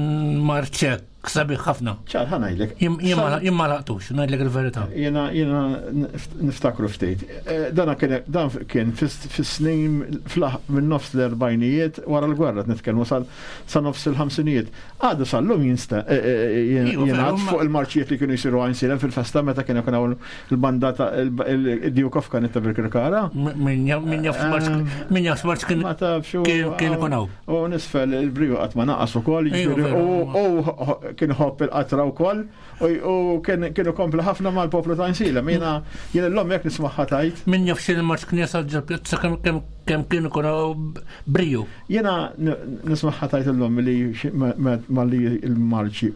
marċek. Sabiħ ħafna. ċar, ħa ngħidlek. Jien ma laqtux, ngħidlek il-verità. Jiena jiena niftakru ftit. Eh, dana kien dan kien fis-snin minn nofs l-erbajnijiet wara l-gwerra nitkellmu sa nofs il-ħamsinijiet. Għadu sal-lum jinsta eh, eh, jingħad fuq il-marċijiet li kienu jsiru għajn fil-festa meta kien ikun hawn il-banda ta' il-Duke of Canet ta' Birkirkara. Min jaf marċ kien kien ikun hawn. U nisfel il-briju qatt ma naqas ukoll, u kien ħobb il-qatra wkoll, u kienu kompli ħafna mal-poplu ta' Nsila. Jiena jien l-lom jekk nismagħha tajt. Min jaf xi marċ kien jasal ġol-pjazza kemm kien ikun briju. Jiena nismagħha tajt illum li malli il-marċ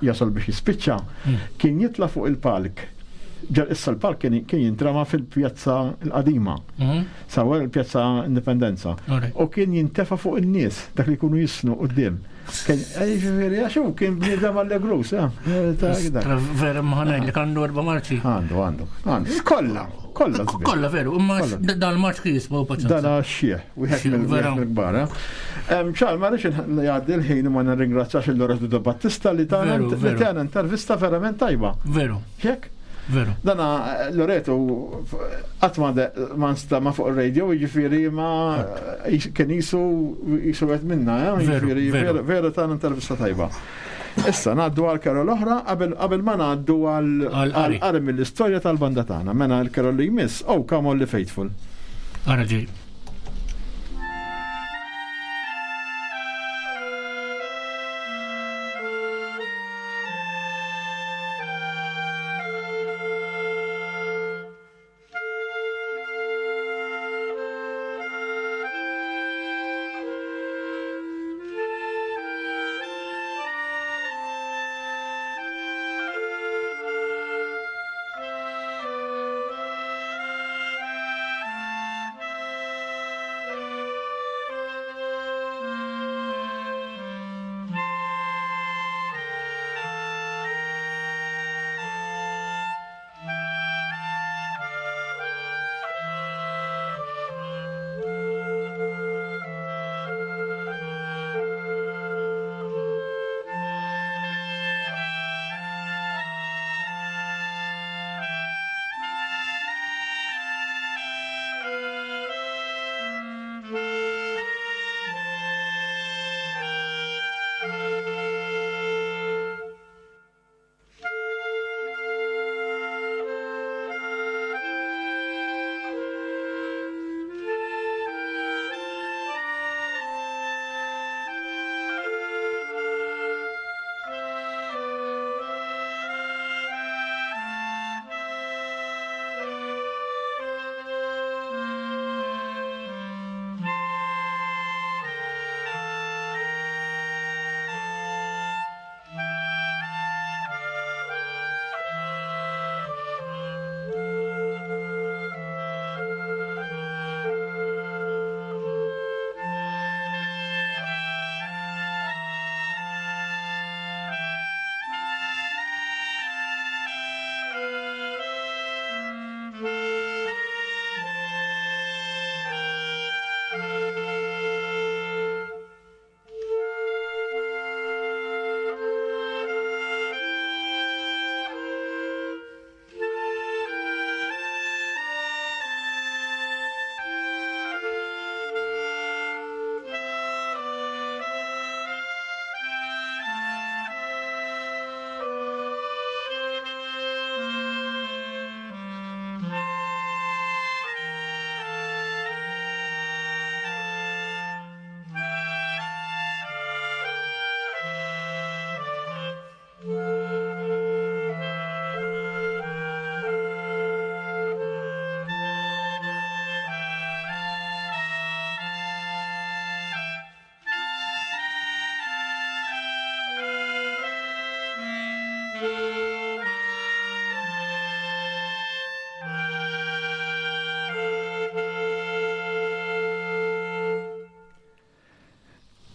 jasal biex jispiċċa, hmm. kien jitla' fuq il-palk. Ġal issa l-palk kien jintrama fil-pjazza l-qadima. Hmm. Sawar il-Pjazza Indipendenza. U kien jintefa' fuq in-nies dak li jkunu jisnu quddiem. Kien eh, jiġifieri għax hu kien bniedem allegrus, eh, eh, Vera ma li għandu erba' marċi. Għandu, għandu. Għandu. Kollha, kollha. Kollha veru, imma dan marċ kien jismu paċenza. Dan xieħ, wieħed mill-kbar. Ċar, ma rridx jgħaddi l-ħin ma nirringrazzjax il-Lorenzo De Battista li tagħna intervista verament tajba. Veru. Jekk? Veru. Dana Loreto qatt ma ma nstama fuq ir-radio, jiġifieri ma kien jisu jisu qed minna, eh? jiġifieri vera ta' intervista tajba. Issa ngħaddu għal karol oħra qabel ma ngħaddu għal qari mill-istorja tal-banda tagħna. Mela l-karol li jmiss, oh come on li faithful. Ara ġej.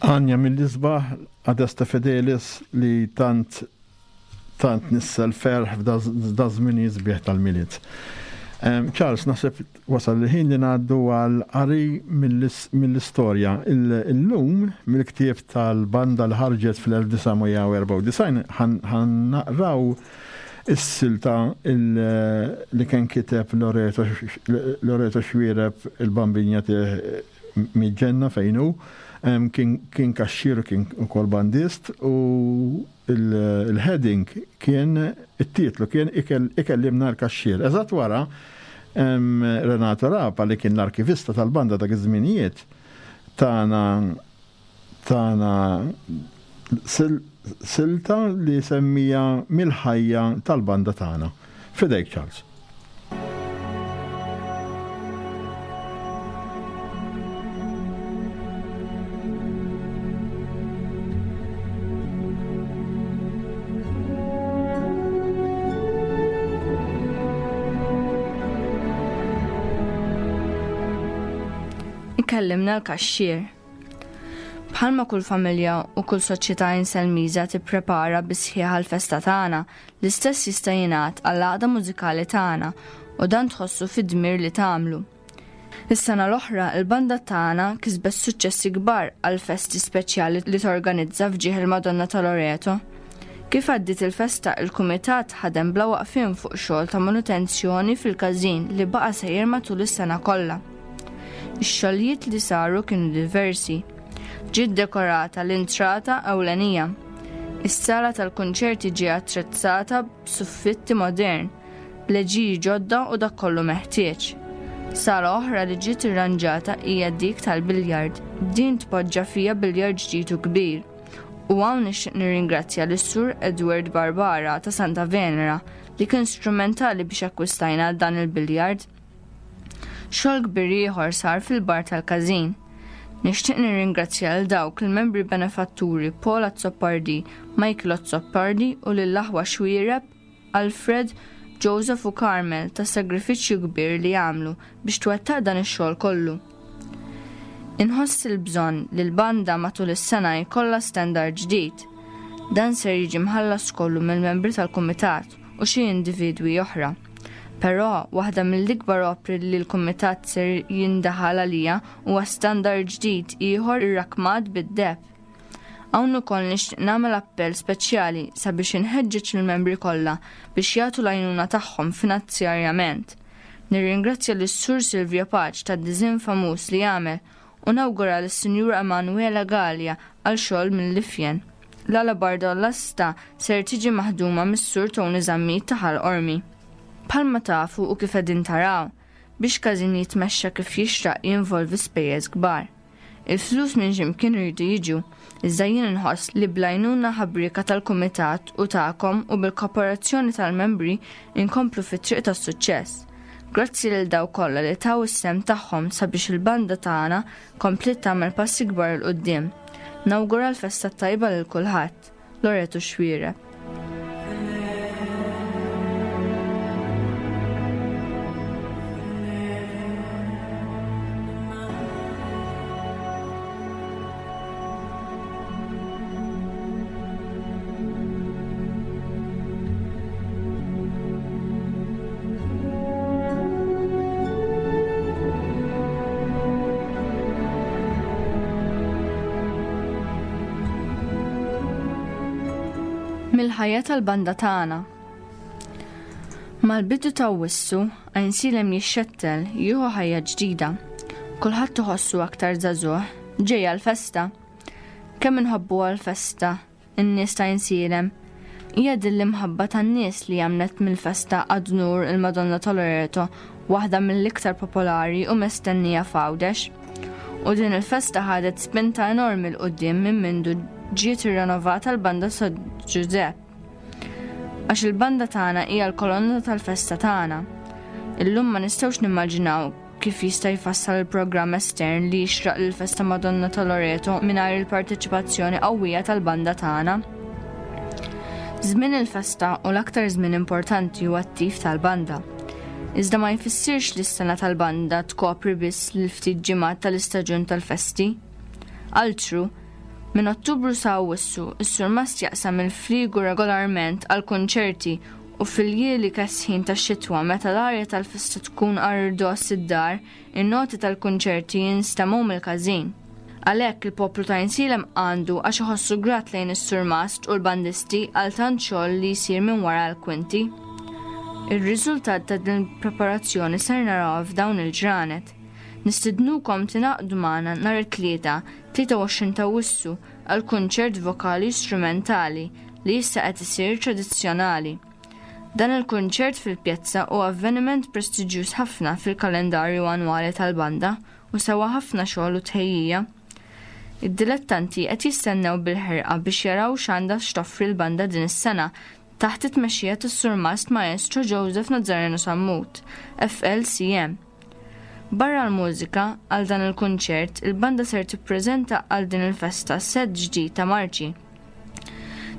Għanja mill-isbaħ Adesta Fidelis li tant tant nissel ferħ f'da żmien sbieħ tal-Milied. Charles, naħseb wasal il-ħin li ngħaddu għal qari mill-istorja. Illum mill-ktieb tal-banda li ħarġet fl-1994 ħan naqraw is-silta li kien kiteb Loreto Xuereb il-Bambinja mill-ġenna fejn hu. Kien kaxxier u kien ukoll bandist u il-heading kien it-titlu kien Ikellimna l-Kaxxier. Eżatt wara Renato Rapa li kien l-arkivista tal-banda dak iż-żminijiet tana tana silta li semmija mill-ħajja tal-banda tagħna. Fidejk Charles. Ikellimna l-kaxxier. Bħalma kull familja u kull soċjetà inselmiża tipprepara bi sħiħ għall-festa tagħna, L-istess jista' jingħad għall-għaqda mużikali tagħna u dan tħossu fid-dmir li tagħmlu. Is-sena l-oħra il-banda tagħna kisbet suċċessi kbar għal festi speċjali li torganizza f'ġieħ il-Madonna ta' Loreto. Kif għaddiet il-festa il-kumitat ħadem bla waqfien fuq xogħol ta' manutenzjoni fil-każin li baqa' sejjer matul is-sena kollha. Ix-xogħlijiet li saru kienu diversi. Ġiet dekorata l-intrata ewlenija. Is-sala tal-kunċerti ġie attrezzata b'suffitti modern, b'leġiji ġodda u dak kollu meħtieġ. Sala oħra li ġiet irranġata hija dik tal-biljard. Din tpoġġa fiha biljard ġdid u kbir. U hawn nixtieq nirringrazzja lis-Sur Edward Barbara ta' Santa Venera li kien strumentali biex akkwistajna dan il-biljard. Xogħol kbir ieħor sar fil-bar tal-każin. Nixtieq nirringrazzja lil dawk il-membri benefatturi Paul Azzopardi, Michael Azzopardi u lill-aħwa Xuereb, Alfred, Joseph u Carmel tas-sagrifiċċju kbir li għamlu biex twettaq dan ix-xogħol kollu. Inħoss il-bżonn li l-banda matul is-sena jkollha standard ġdid. Dan ser jiġi mħallas kollu mill-membri tal-kumitat u xi individwi oħra. Però, waħda mill-ikbar opri li l-kumitat ser jindaħal għalija huwa standard ġdid ieħor irrakmat bid-deheb. Hawn ukoll nixtieq nagħmel appell speċjali sabiex inħeġġeġ lill-membri kollha biex jagħtu l-għajnuna tagħhom finanzjarjament. Nirringrazzja lis-Sur Silvio Pace tad-diżinn famuż li għamel u nawgura lis-Sinjura Emanuela Galea għal xogħol mill-ifjen. L-alabarda u l-asta ser tiġi maħduma mis-Sur Tony Zammit ta' Ħal Qormi. Bħalma tafu u kif qegħdin taraw, biex każin jitmexxa kif jixraq jinvolvi spejjeż kbar. Il-flus minn xi mkien iridu jiġu, iżda jien inħoss li bl-għajnuna ħabrieka tal-kumitat u tagħkom u bil-kooperazzjoni tal-membri inkomplu fit-triq tas-suċċess. Grazzi lil dawk kollha li taw is-sehem tagħhom sabiex il-banda tagħna kompliet tagħmel passi kbar 'il quddiem. Nawgura l-festa t-tajba lil kulħadd. Loreto Xuereb. Mill-ħajja tal-banda tagħna. Mal-bidu ta' wissu, Għajnsielem jixxettel, jieħu ħajja ġdida. Kulħadd iħossu aktar żagħżugħ, ġejja l-festa. Kemm inħobbuha l-festa, in-nies ta' Għajnsielem. Hija din l-imħabba tan-nies li għamlet mill-festa ad unur il-Madonna ta' Loreto waħda mill-iktar popolari u mestennija f'Għawdex. U din il-festa ħadet spinta enormi 'l quddiem minn mindu ġiet irrenovata l-Banda San Ġużepp. Għax il-banda tagħna hija l-kolonna tal-festa tagħna. Illum ma nistgħux nimmaġinaw kif jista' jfassal il-programm estern li jixraq lill-festa Madonna ta' Loreto mingħajr il-parteċipazzjoni qawwija tal-banda tagħna. Żmien il-festa u l-aktar żmien importanti huwa t-tif tal-banda. Iżda ma jfissirx li s-sena tal-banda tkopri biss l-ftit ġimgħat tal-istaġun tal-festi. Altru, Minn Ottubru sa Awwissu, is-surmast jaqsam il-fliegu regolarment għal kunċerti u fil-ljieli kesħin tax-xitwa meta l-arja tal-festa tkun għar-rdoss id-dar, in-noti tal-kunċerti jinstemgħu mill-każin. Għalhekk il-poplu ta' Għajnsielem għandu għax iħossu grat lejn is-surmast u l-bandisti għal tant xogħol li jsir minn wara l-kwinti. Ir-riżultat ta' din il-preparazzjoni ser narawha f'dawn il-ġranet. Nistidnukom tingħaqdu magħna nhar it-Tlieta, 23 t'Awwissu għal kunċert vokali u strumentali li issa qed isir tradizzjonali. Dan il-kunċert fil-pjazza hu avveniment prestiġjuż ħafna fil-kalendarju annwali tal-banda u sewa ħafna xogħol u tħejjija. Id-dilettanti qed jistennew bil-ħerqa biex jaraw x'għandha x'toffri l-banda din is-sena taħt it-tmexxija tas-Surmast Maestro Joseph Nazzareno Sammut, FLCM. Barra l-mużika, għal dan il-kunċert, il-banda ser tippreżenta għal din il-festa sett ġdid ta' marċi.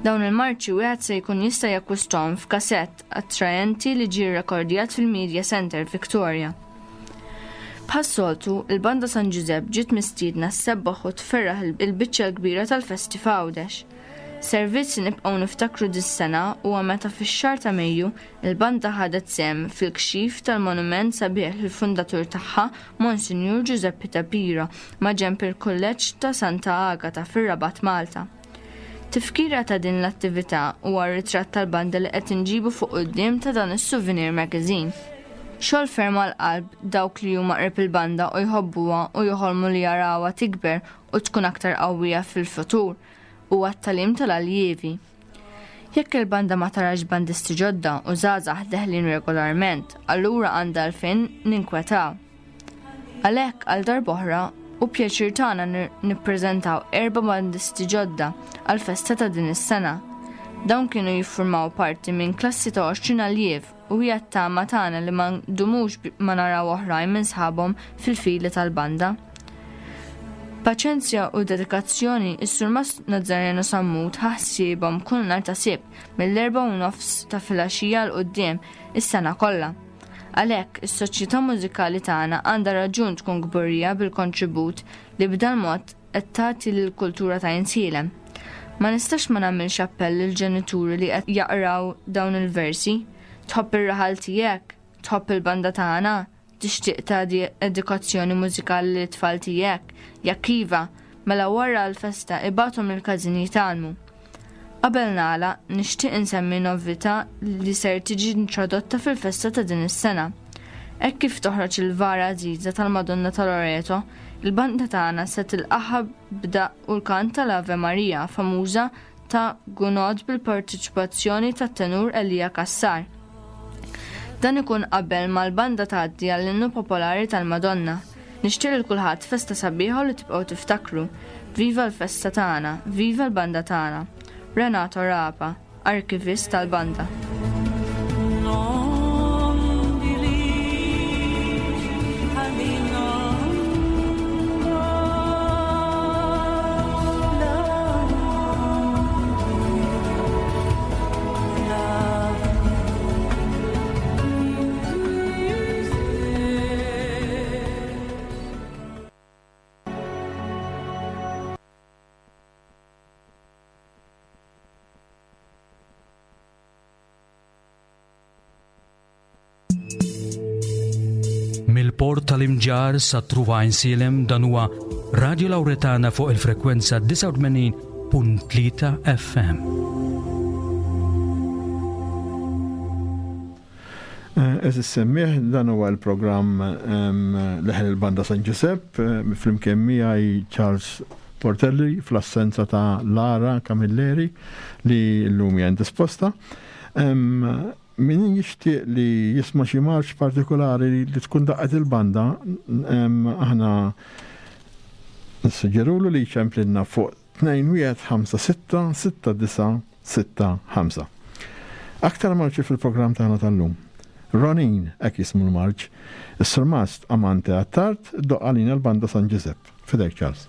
Dawn il-marċi wieħed se jkun jista' jakkwisthom f'kasett attraenti li ġie rrekordjat fil-Media Centre Victoria. Bħas-soltu, il-Banda San Ġużepp ġiet mistiedna ssebbaħ u tferraħ il-biċċa l-kbira tal-festi f'Għawdex. Servizz li nibqgħu niftakru dis-sena huwa meta fix-xahar ta' Mejju il-banda ħadet sehem fil-kxif tal-monument sabiħ lill-fundatur tagħha Monsinjur Ġużeppi Ta' Piro maġenb il-Kulleġġ ta' Santa Agata fir-Rabat Malta. Tifkira ta' din l-attività huwa r-ritratt tal-banda li qed inġibu fuq quddiem ta' dan is-Souvenir Magazine. Xogħol ferm għall-qalb dawk li huma qrib il-banda u jħobbuha u joħolmu li jarawha tikber u tkun aktar qawwija fil-futur huwa t-tagħlim tal-aljievi. Jekk il-banda ma tarax bandisti ġodda u żgħażagħ deħlin regolarment, allura għandha għalfejn ninkwetaw. Għalhekk għal darb'oħra hu pjaċir tagħna nippreżentaw erba' bandisti ġodda għall-festa ta' din is-sena. Dawn kienu jiffurmaw parti minn klassi ta' 20 aljiev u hija t-tama tagħna li ma ndumux ma naraw oħrajn minn sħabhom fil-fili tal-banda. B'paċenzja u dedikazzjoni, is-Surmast Nazzareno Sammut ħa ħsiebhom kull nhar ta' Sibt mill-erbgħa u nofs ta' filgħaxija 'l quddiem is-sena kollha. Għalhekk, is-soċjetà mużikali tagħna għandha raġun tkun kburija bil-kontribut li b'dal-mod qed tagħti lill-kultura ta' Għinsielem. Ma nistax ma nagħmilx appell lill-ġenituri li qed jaqraw dawn il-versi, Tħobb ir-raħal tiegħek? Tħobb il-banda tagħna? Tixtieq tagħti edukazzjoni mużikali lit-tfal tiegħek? Jekk iva, mela wara l-festa ibgħathom il-każin jitgħallmu. Qabel nagħlaq, nixtieq insemmi novità li ser tiġi introdotta fil-festa ta' din is-sena. Hekk kif toħroġ il-vara għażiża tal-Madonna ta' Loreto, il-banda tagħna se tilqagħha b'daqq u l-kant tal-Ave Maria famuża ta' Gounod bil-parteċipazzjoni tat-tenur Elia Cassar. Dan ikun qabel ma l-banda tgħaddi għall-innu popolari tal-Madonna. Nixtieq lil kulħadd festa sabiħa u li tibqgħu tiftakru. Viva l-festa tagħna, viva l-banda tagħna. Renato Rapa, Arkivist tal-Banda. Mill-port tal-Imġarr sa Truva Għajnsielem dan huwa Radio Lauretana fuq il-frekwenza 89.3 FM. Eh, eżis semmiħ, dan huwa l-programm ehm, Leħen il-Banda San Giuseppe, eh, flimkien miegħi Charles Portelli fl-assenza ta' Lara Camilleri li l-lum hija indisposta. Ehm, min jixtieq li jisma' xi marċ partikolari li tkun daqqet il-banda, ehm, aħna nissuġġerulu li jċemplilna fuq 2156 6965. Aktar marċi fil-programm tagħna tal-lum. Ronin, hekk jismu l-marċ. Is-Surmast Amante Attard doqq għalina l-Banda San Ġiżepp. Fidejk Charles.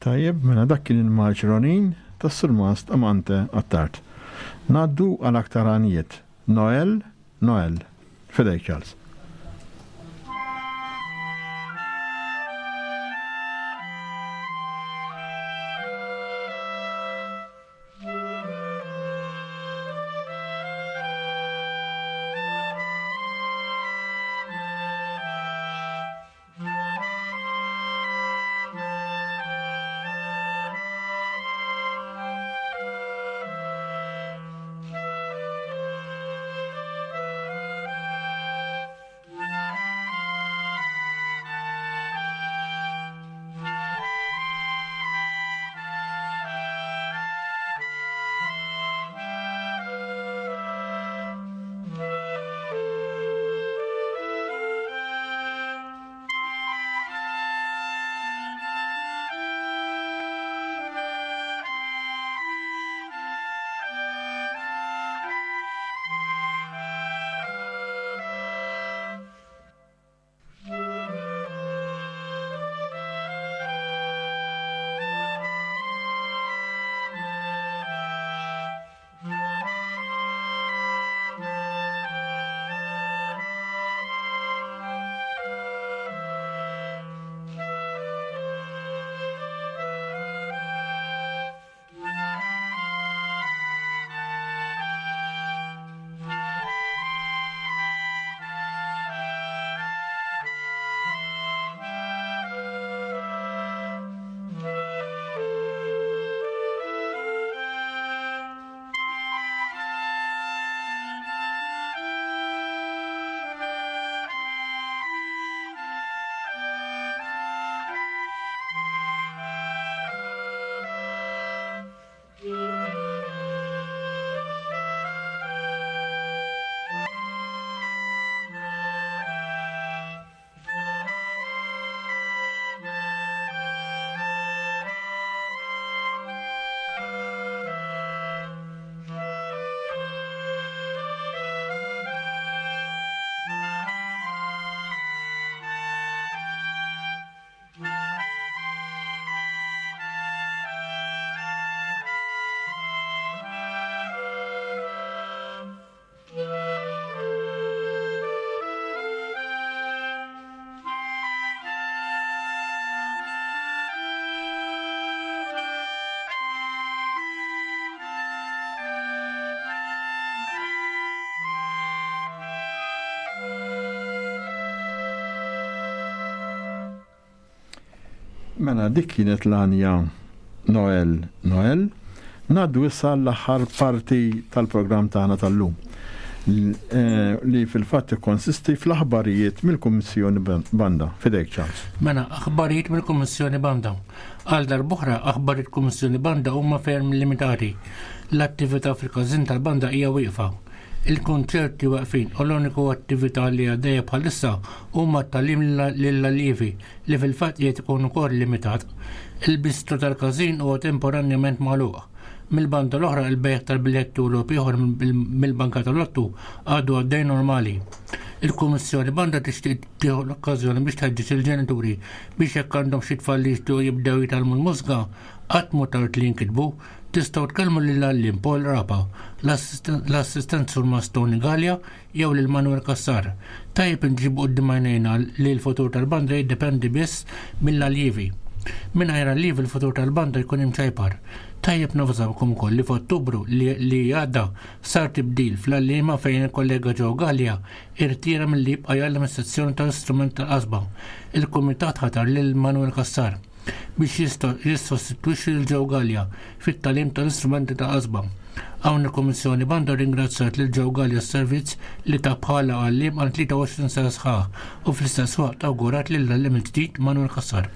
Tajjeb, mela dak kien il-marċ Ronin tas-Surmast Amante Attard. Ngħaddu għal aktar għanjiet. Noel, Noel. Fidejk Charles. Mela dik kienet l-għanja Noel Noel. Ngħaddu issa l-aħħar parti tal-programm tagħna tal-lum eh, li fil-fatt ikkonsisti fl-aħbarijiet mill-Kummissjoni Banda. Fidejk Charles. Mela, aħbarijiet mill-Kummissjoni Banda. Għal darb'oħra, aħbarijiet Kummissjoni Banda huma ferm limitati. L-attività fil-każin tal-banda hija wieqfa. Il-kunċerti waqfin u l-uniku attività li għaddejja bħalissa huma t-tagħlim lill-allievi li fil-fatt qiegħed ikun ukoll limitat. Il-bistro tal-każin huwa temporanjament magħluq. Mill-banda l-oħra il-bejgħ tal-biljetti u logħob ieħor mill-banka tal-lottu għadu għaddej normali. Il-Kummissjoni Banda tixtieq tieħu l-okkażjoni biex tħeġġeġ il-ġenituri biex jekk għandhom xi tfal li jixtiequ jibdew jitgħallmu l-mużika, qatt mhu tard li jinkitbu. Tistgħu tkellmu lill-għalliem Paul Rapa, l-assistent Surmast Tony Galea jew lil Manuel Cassar. Tajjeb inġibu quddiem għajnejna li l-futur tal-banda jiddependi biss mill-alljievi. Mingħajr allievi l-futur tal-banda jkun imċajpar. Tajjeb navżawkom ukoll li f'Ottubru li għadda sar tibdil fl-għalliema fejn il-kollega Joe Galea irtira milli jibqa' jgħallem is-sezzjoni tal-istrument tal-qasba. Il-kumitat ħatar lil Manuel Cassar biex jissostitwixxi lil Joe Galea fit-tagħlim tal-istrumenti ta' qasba. Hawn il-Kummissjoni Banda rringrazzjat lil Joe Galea s-servizz li ta bħala għalliem għal 23 sena sħaħ u fl-istess waqt awgurat lill-għalliem il-ġdid Manuel Cassar.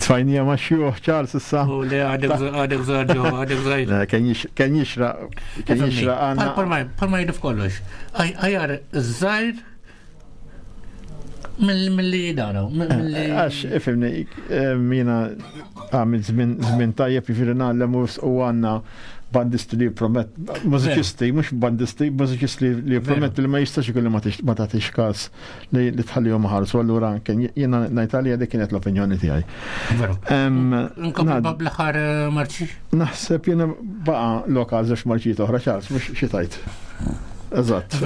Tfajnija ma' xjuħ Charles issa. U le għadek żgħar ġo, għadek żgħir. Kien jixra, kien jixra għandna. Palma jgħidu f'kollox. Ajar żgħir mill-li jidara. Għax, ifimni, eh, mina għamil żmien tajjeb jiġifieri ngħallem u għandna. bandisti li jippromett, mużiċisti, mhux bandisti, mużiċisti li jipprometti li ma jistax ikun li ma tagħtix każ li tħallihom ħarsu, allura kien jiena ngħid għalija dik kienet l-opinjoni tiegħi. Nkomplu bl-aħħar eh, marċi? Naħseb jiena baqa' lokal żewġ marċijiet oħra ċars, mhux xi tajt. Eżatt.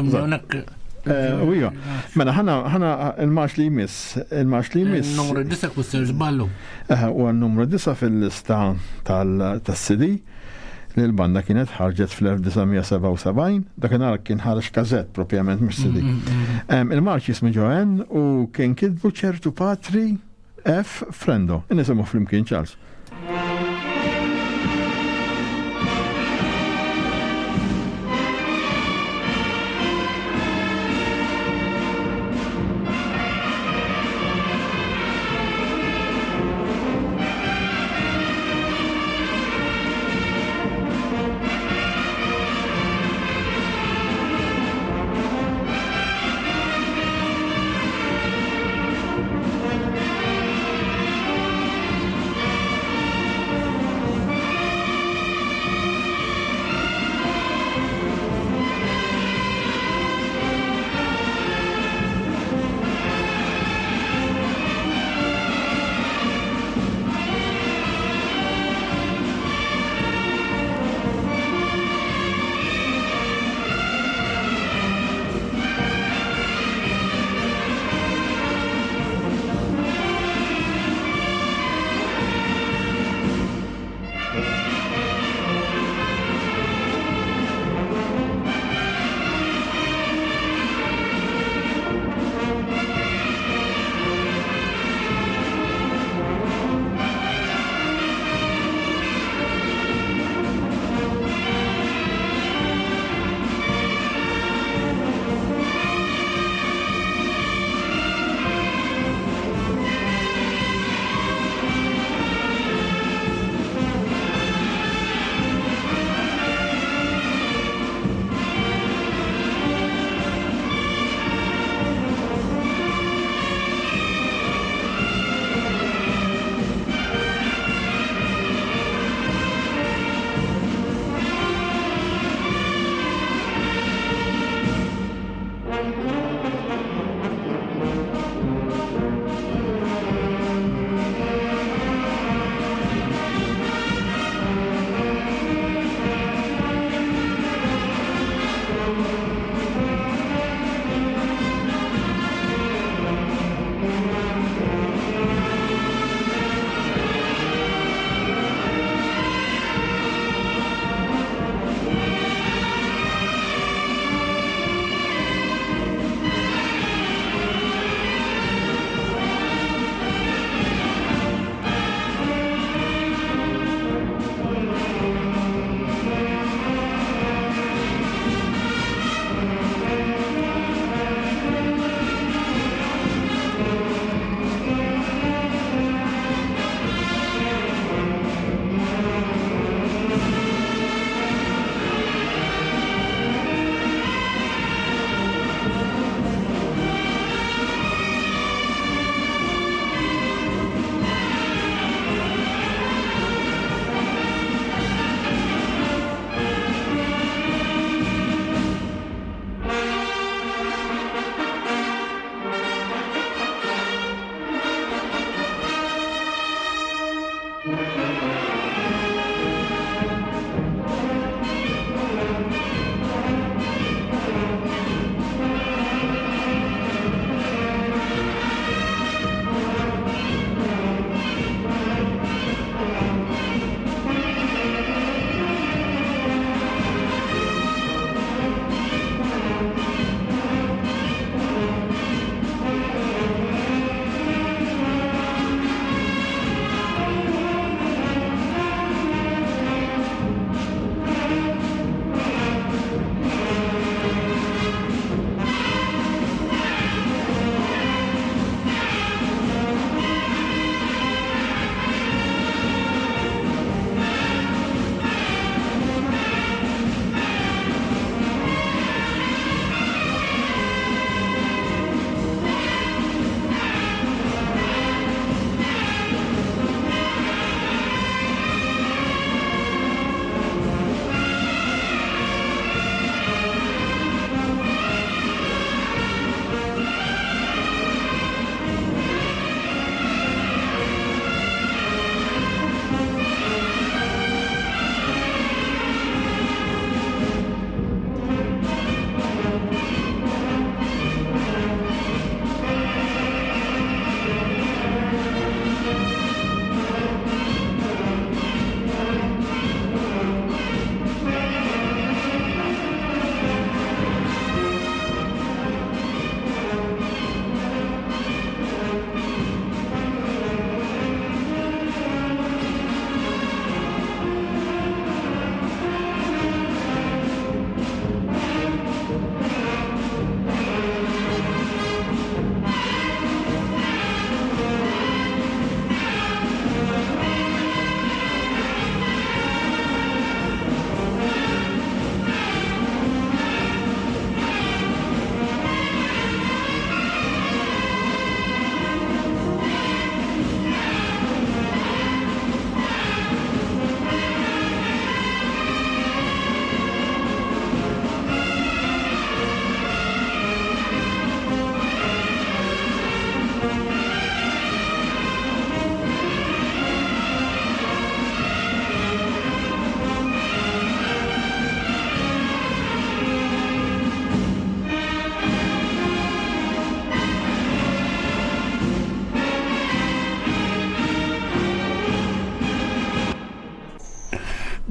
Eh, u iva, mela ħana ħana il-marx li jmiss, il-marx li jmiss. Numru 9 kusser żballu. Eh, u numru 9 fil-lista tal-CD li l-banda kienet ħarġet fl-1977, dakinhar kien ħareġ kazett propjament mhux CD. Mm, mm, mm. Il-marx jismu Joanne u kien kitbu ċertu patri F. Frendo. Nisimgħu flimkien Charles.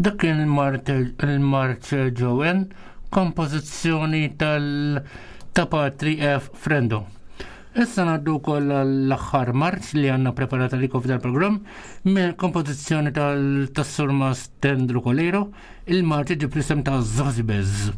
Dak kien il-Marċ Joen, kompożizzjoni tal ta' Patri F. Frendo. Issa ngħaddu wkoll l-aħħar marċ li għandna preparata li f'dal programm minn kompożizzjoni tal-Surmas Tendru Kolero, il-marċ ġib l-isem ta' Zozibez.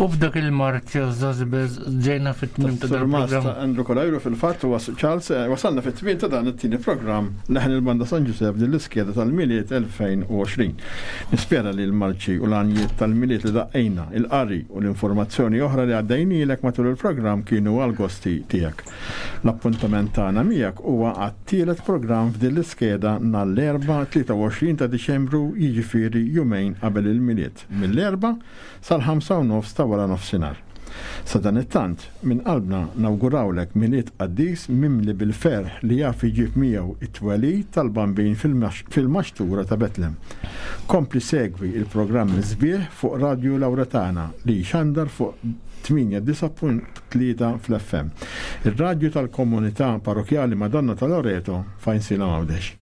U f'dak il-marċ Zazibez ġejna fit-tmim ta' dan il-programm. Andrew Kolajru fil-fatt u Charles eh, wasalna fit-tmim ta' dan it-tieni programm leħen il-Banda San Giuseppe din l-iskeda tal-Milied 2020. Nispera li l-marċi u l-għanjiet tal-Milied li daqqejna, il-qari u l-informazzjoni oħra li għaddejnilek matul il-programm kienu għal-gosti tiegħek. L-appuntament tagħna miegħek huwa għat-tielet programm f'din l-iskeda nhar l-Erbgħa 23 ta' Diċembru jiġifieri jumejn qabel il-Milied, mill-Erbgħa sal-ħamsa u nofs ta' wara nofsinhar. Sadanittant, minn qalbna nawgurawlek Milied qaddis mimli bil-ferħ li jaf iġib miegħu t-twelid tal-Bambin fil-maxtura ta' Betlem. Kompli segwi l-programmi sbieħ fuq Radju Lawretana li jxandar fuq 89.3 fl-FM. Ir-radju tal-Komunità Parrokkjali Madonna ta' Loreto f'Għajnsielem Għawdex.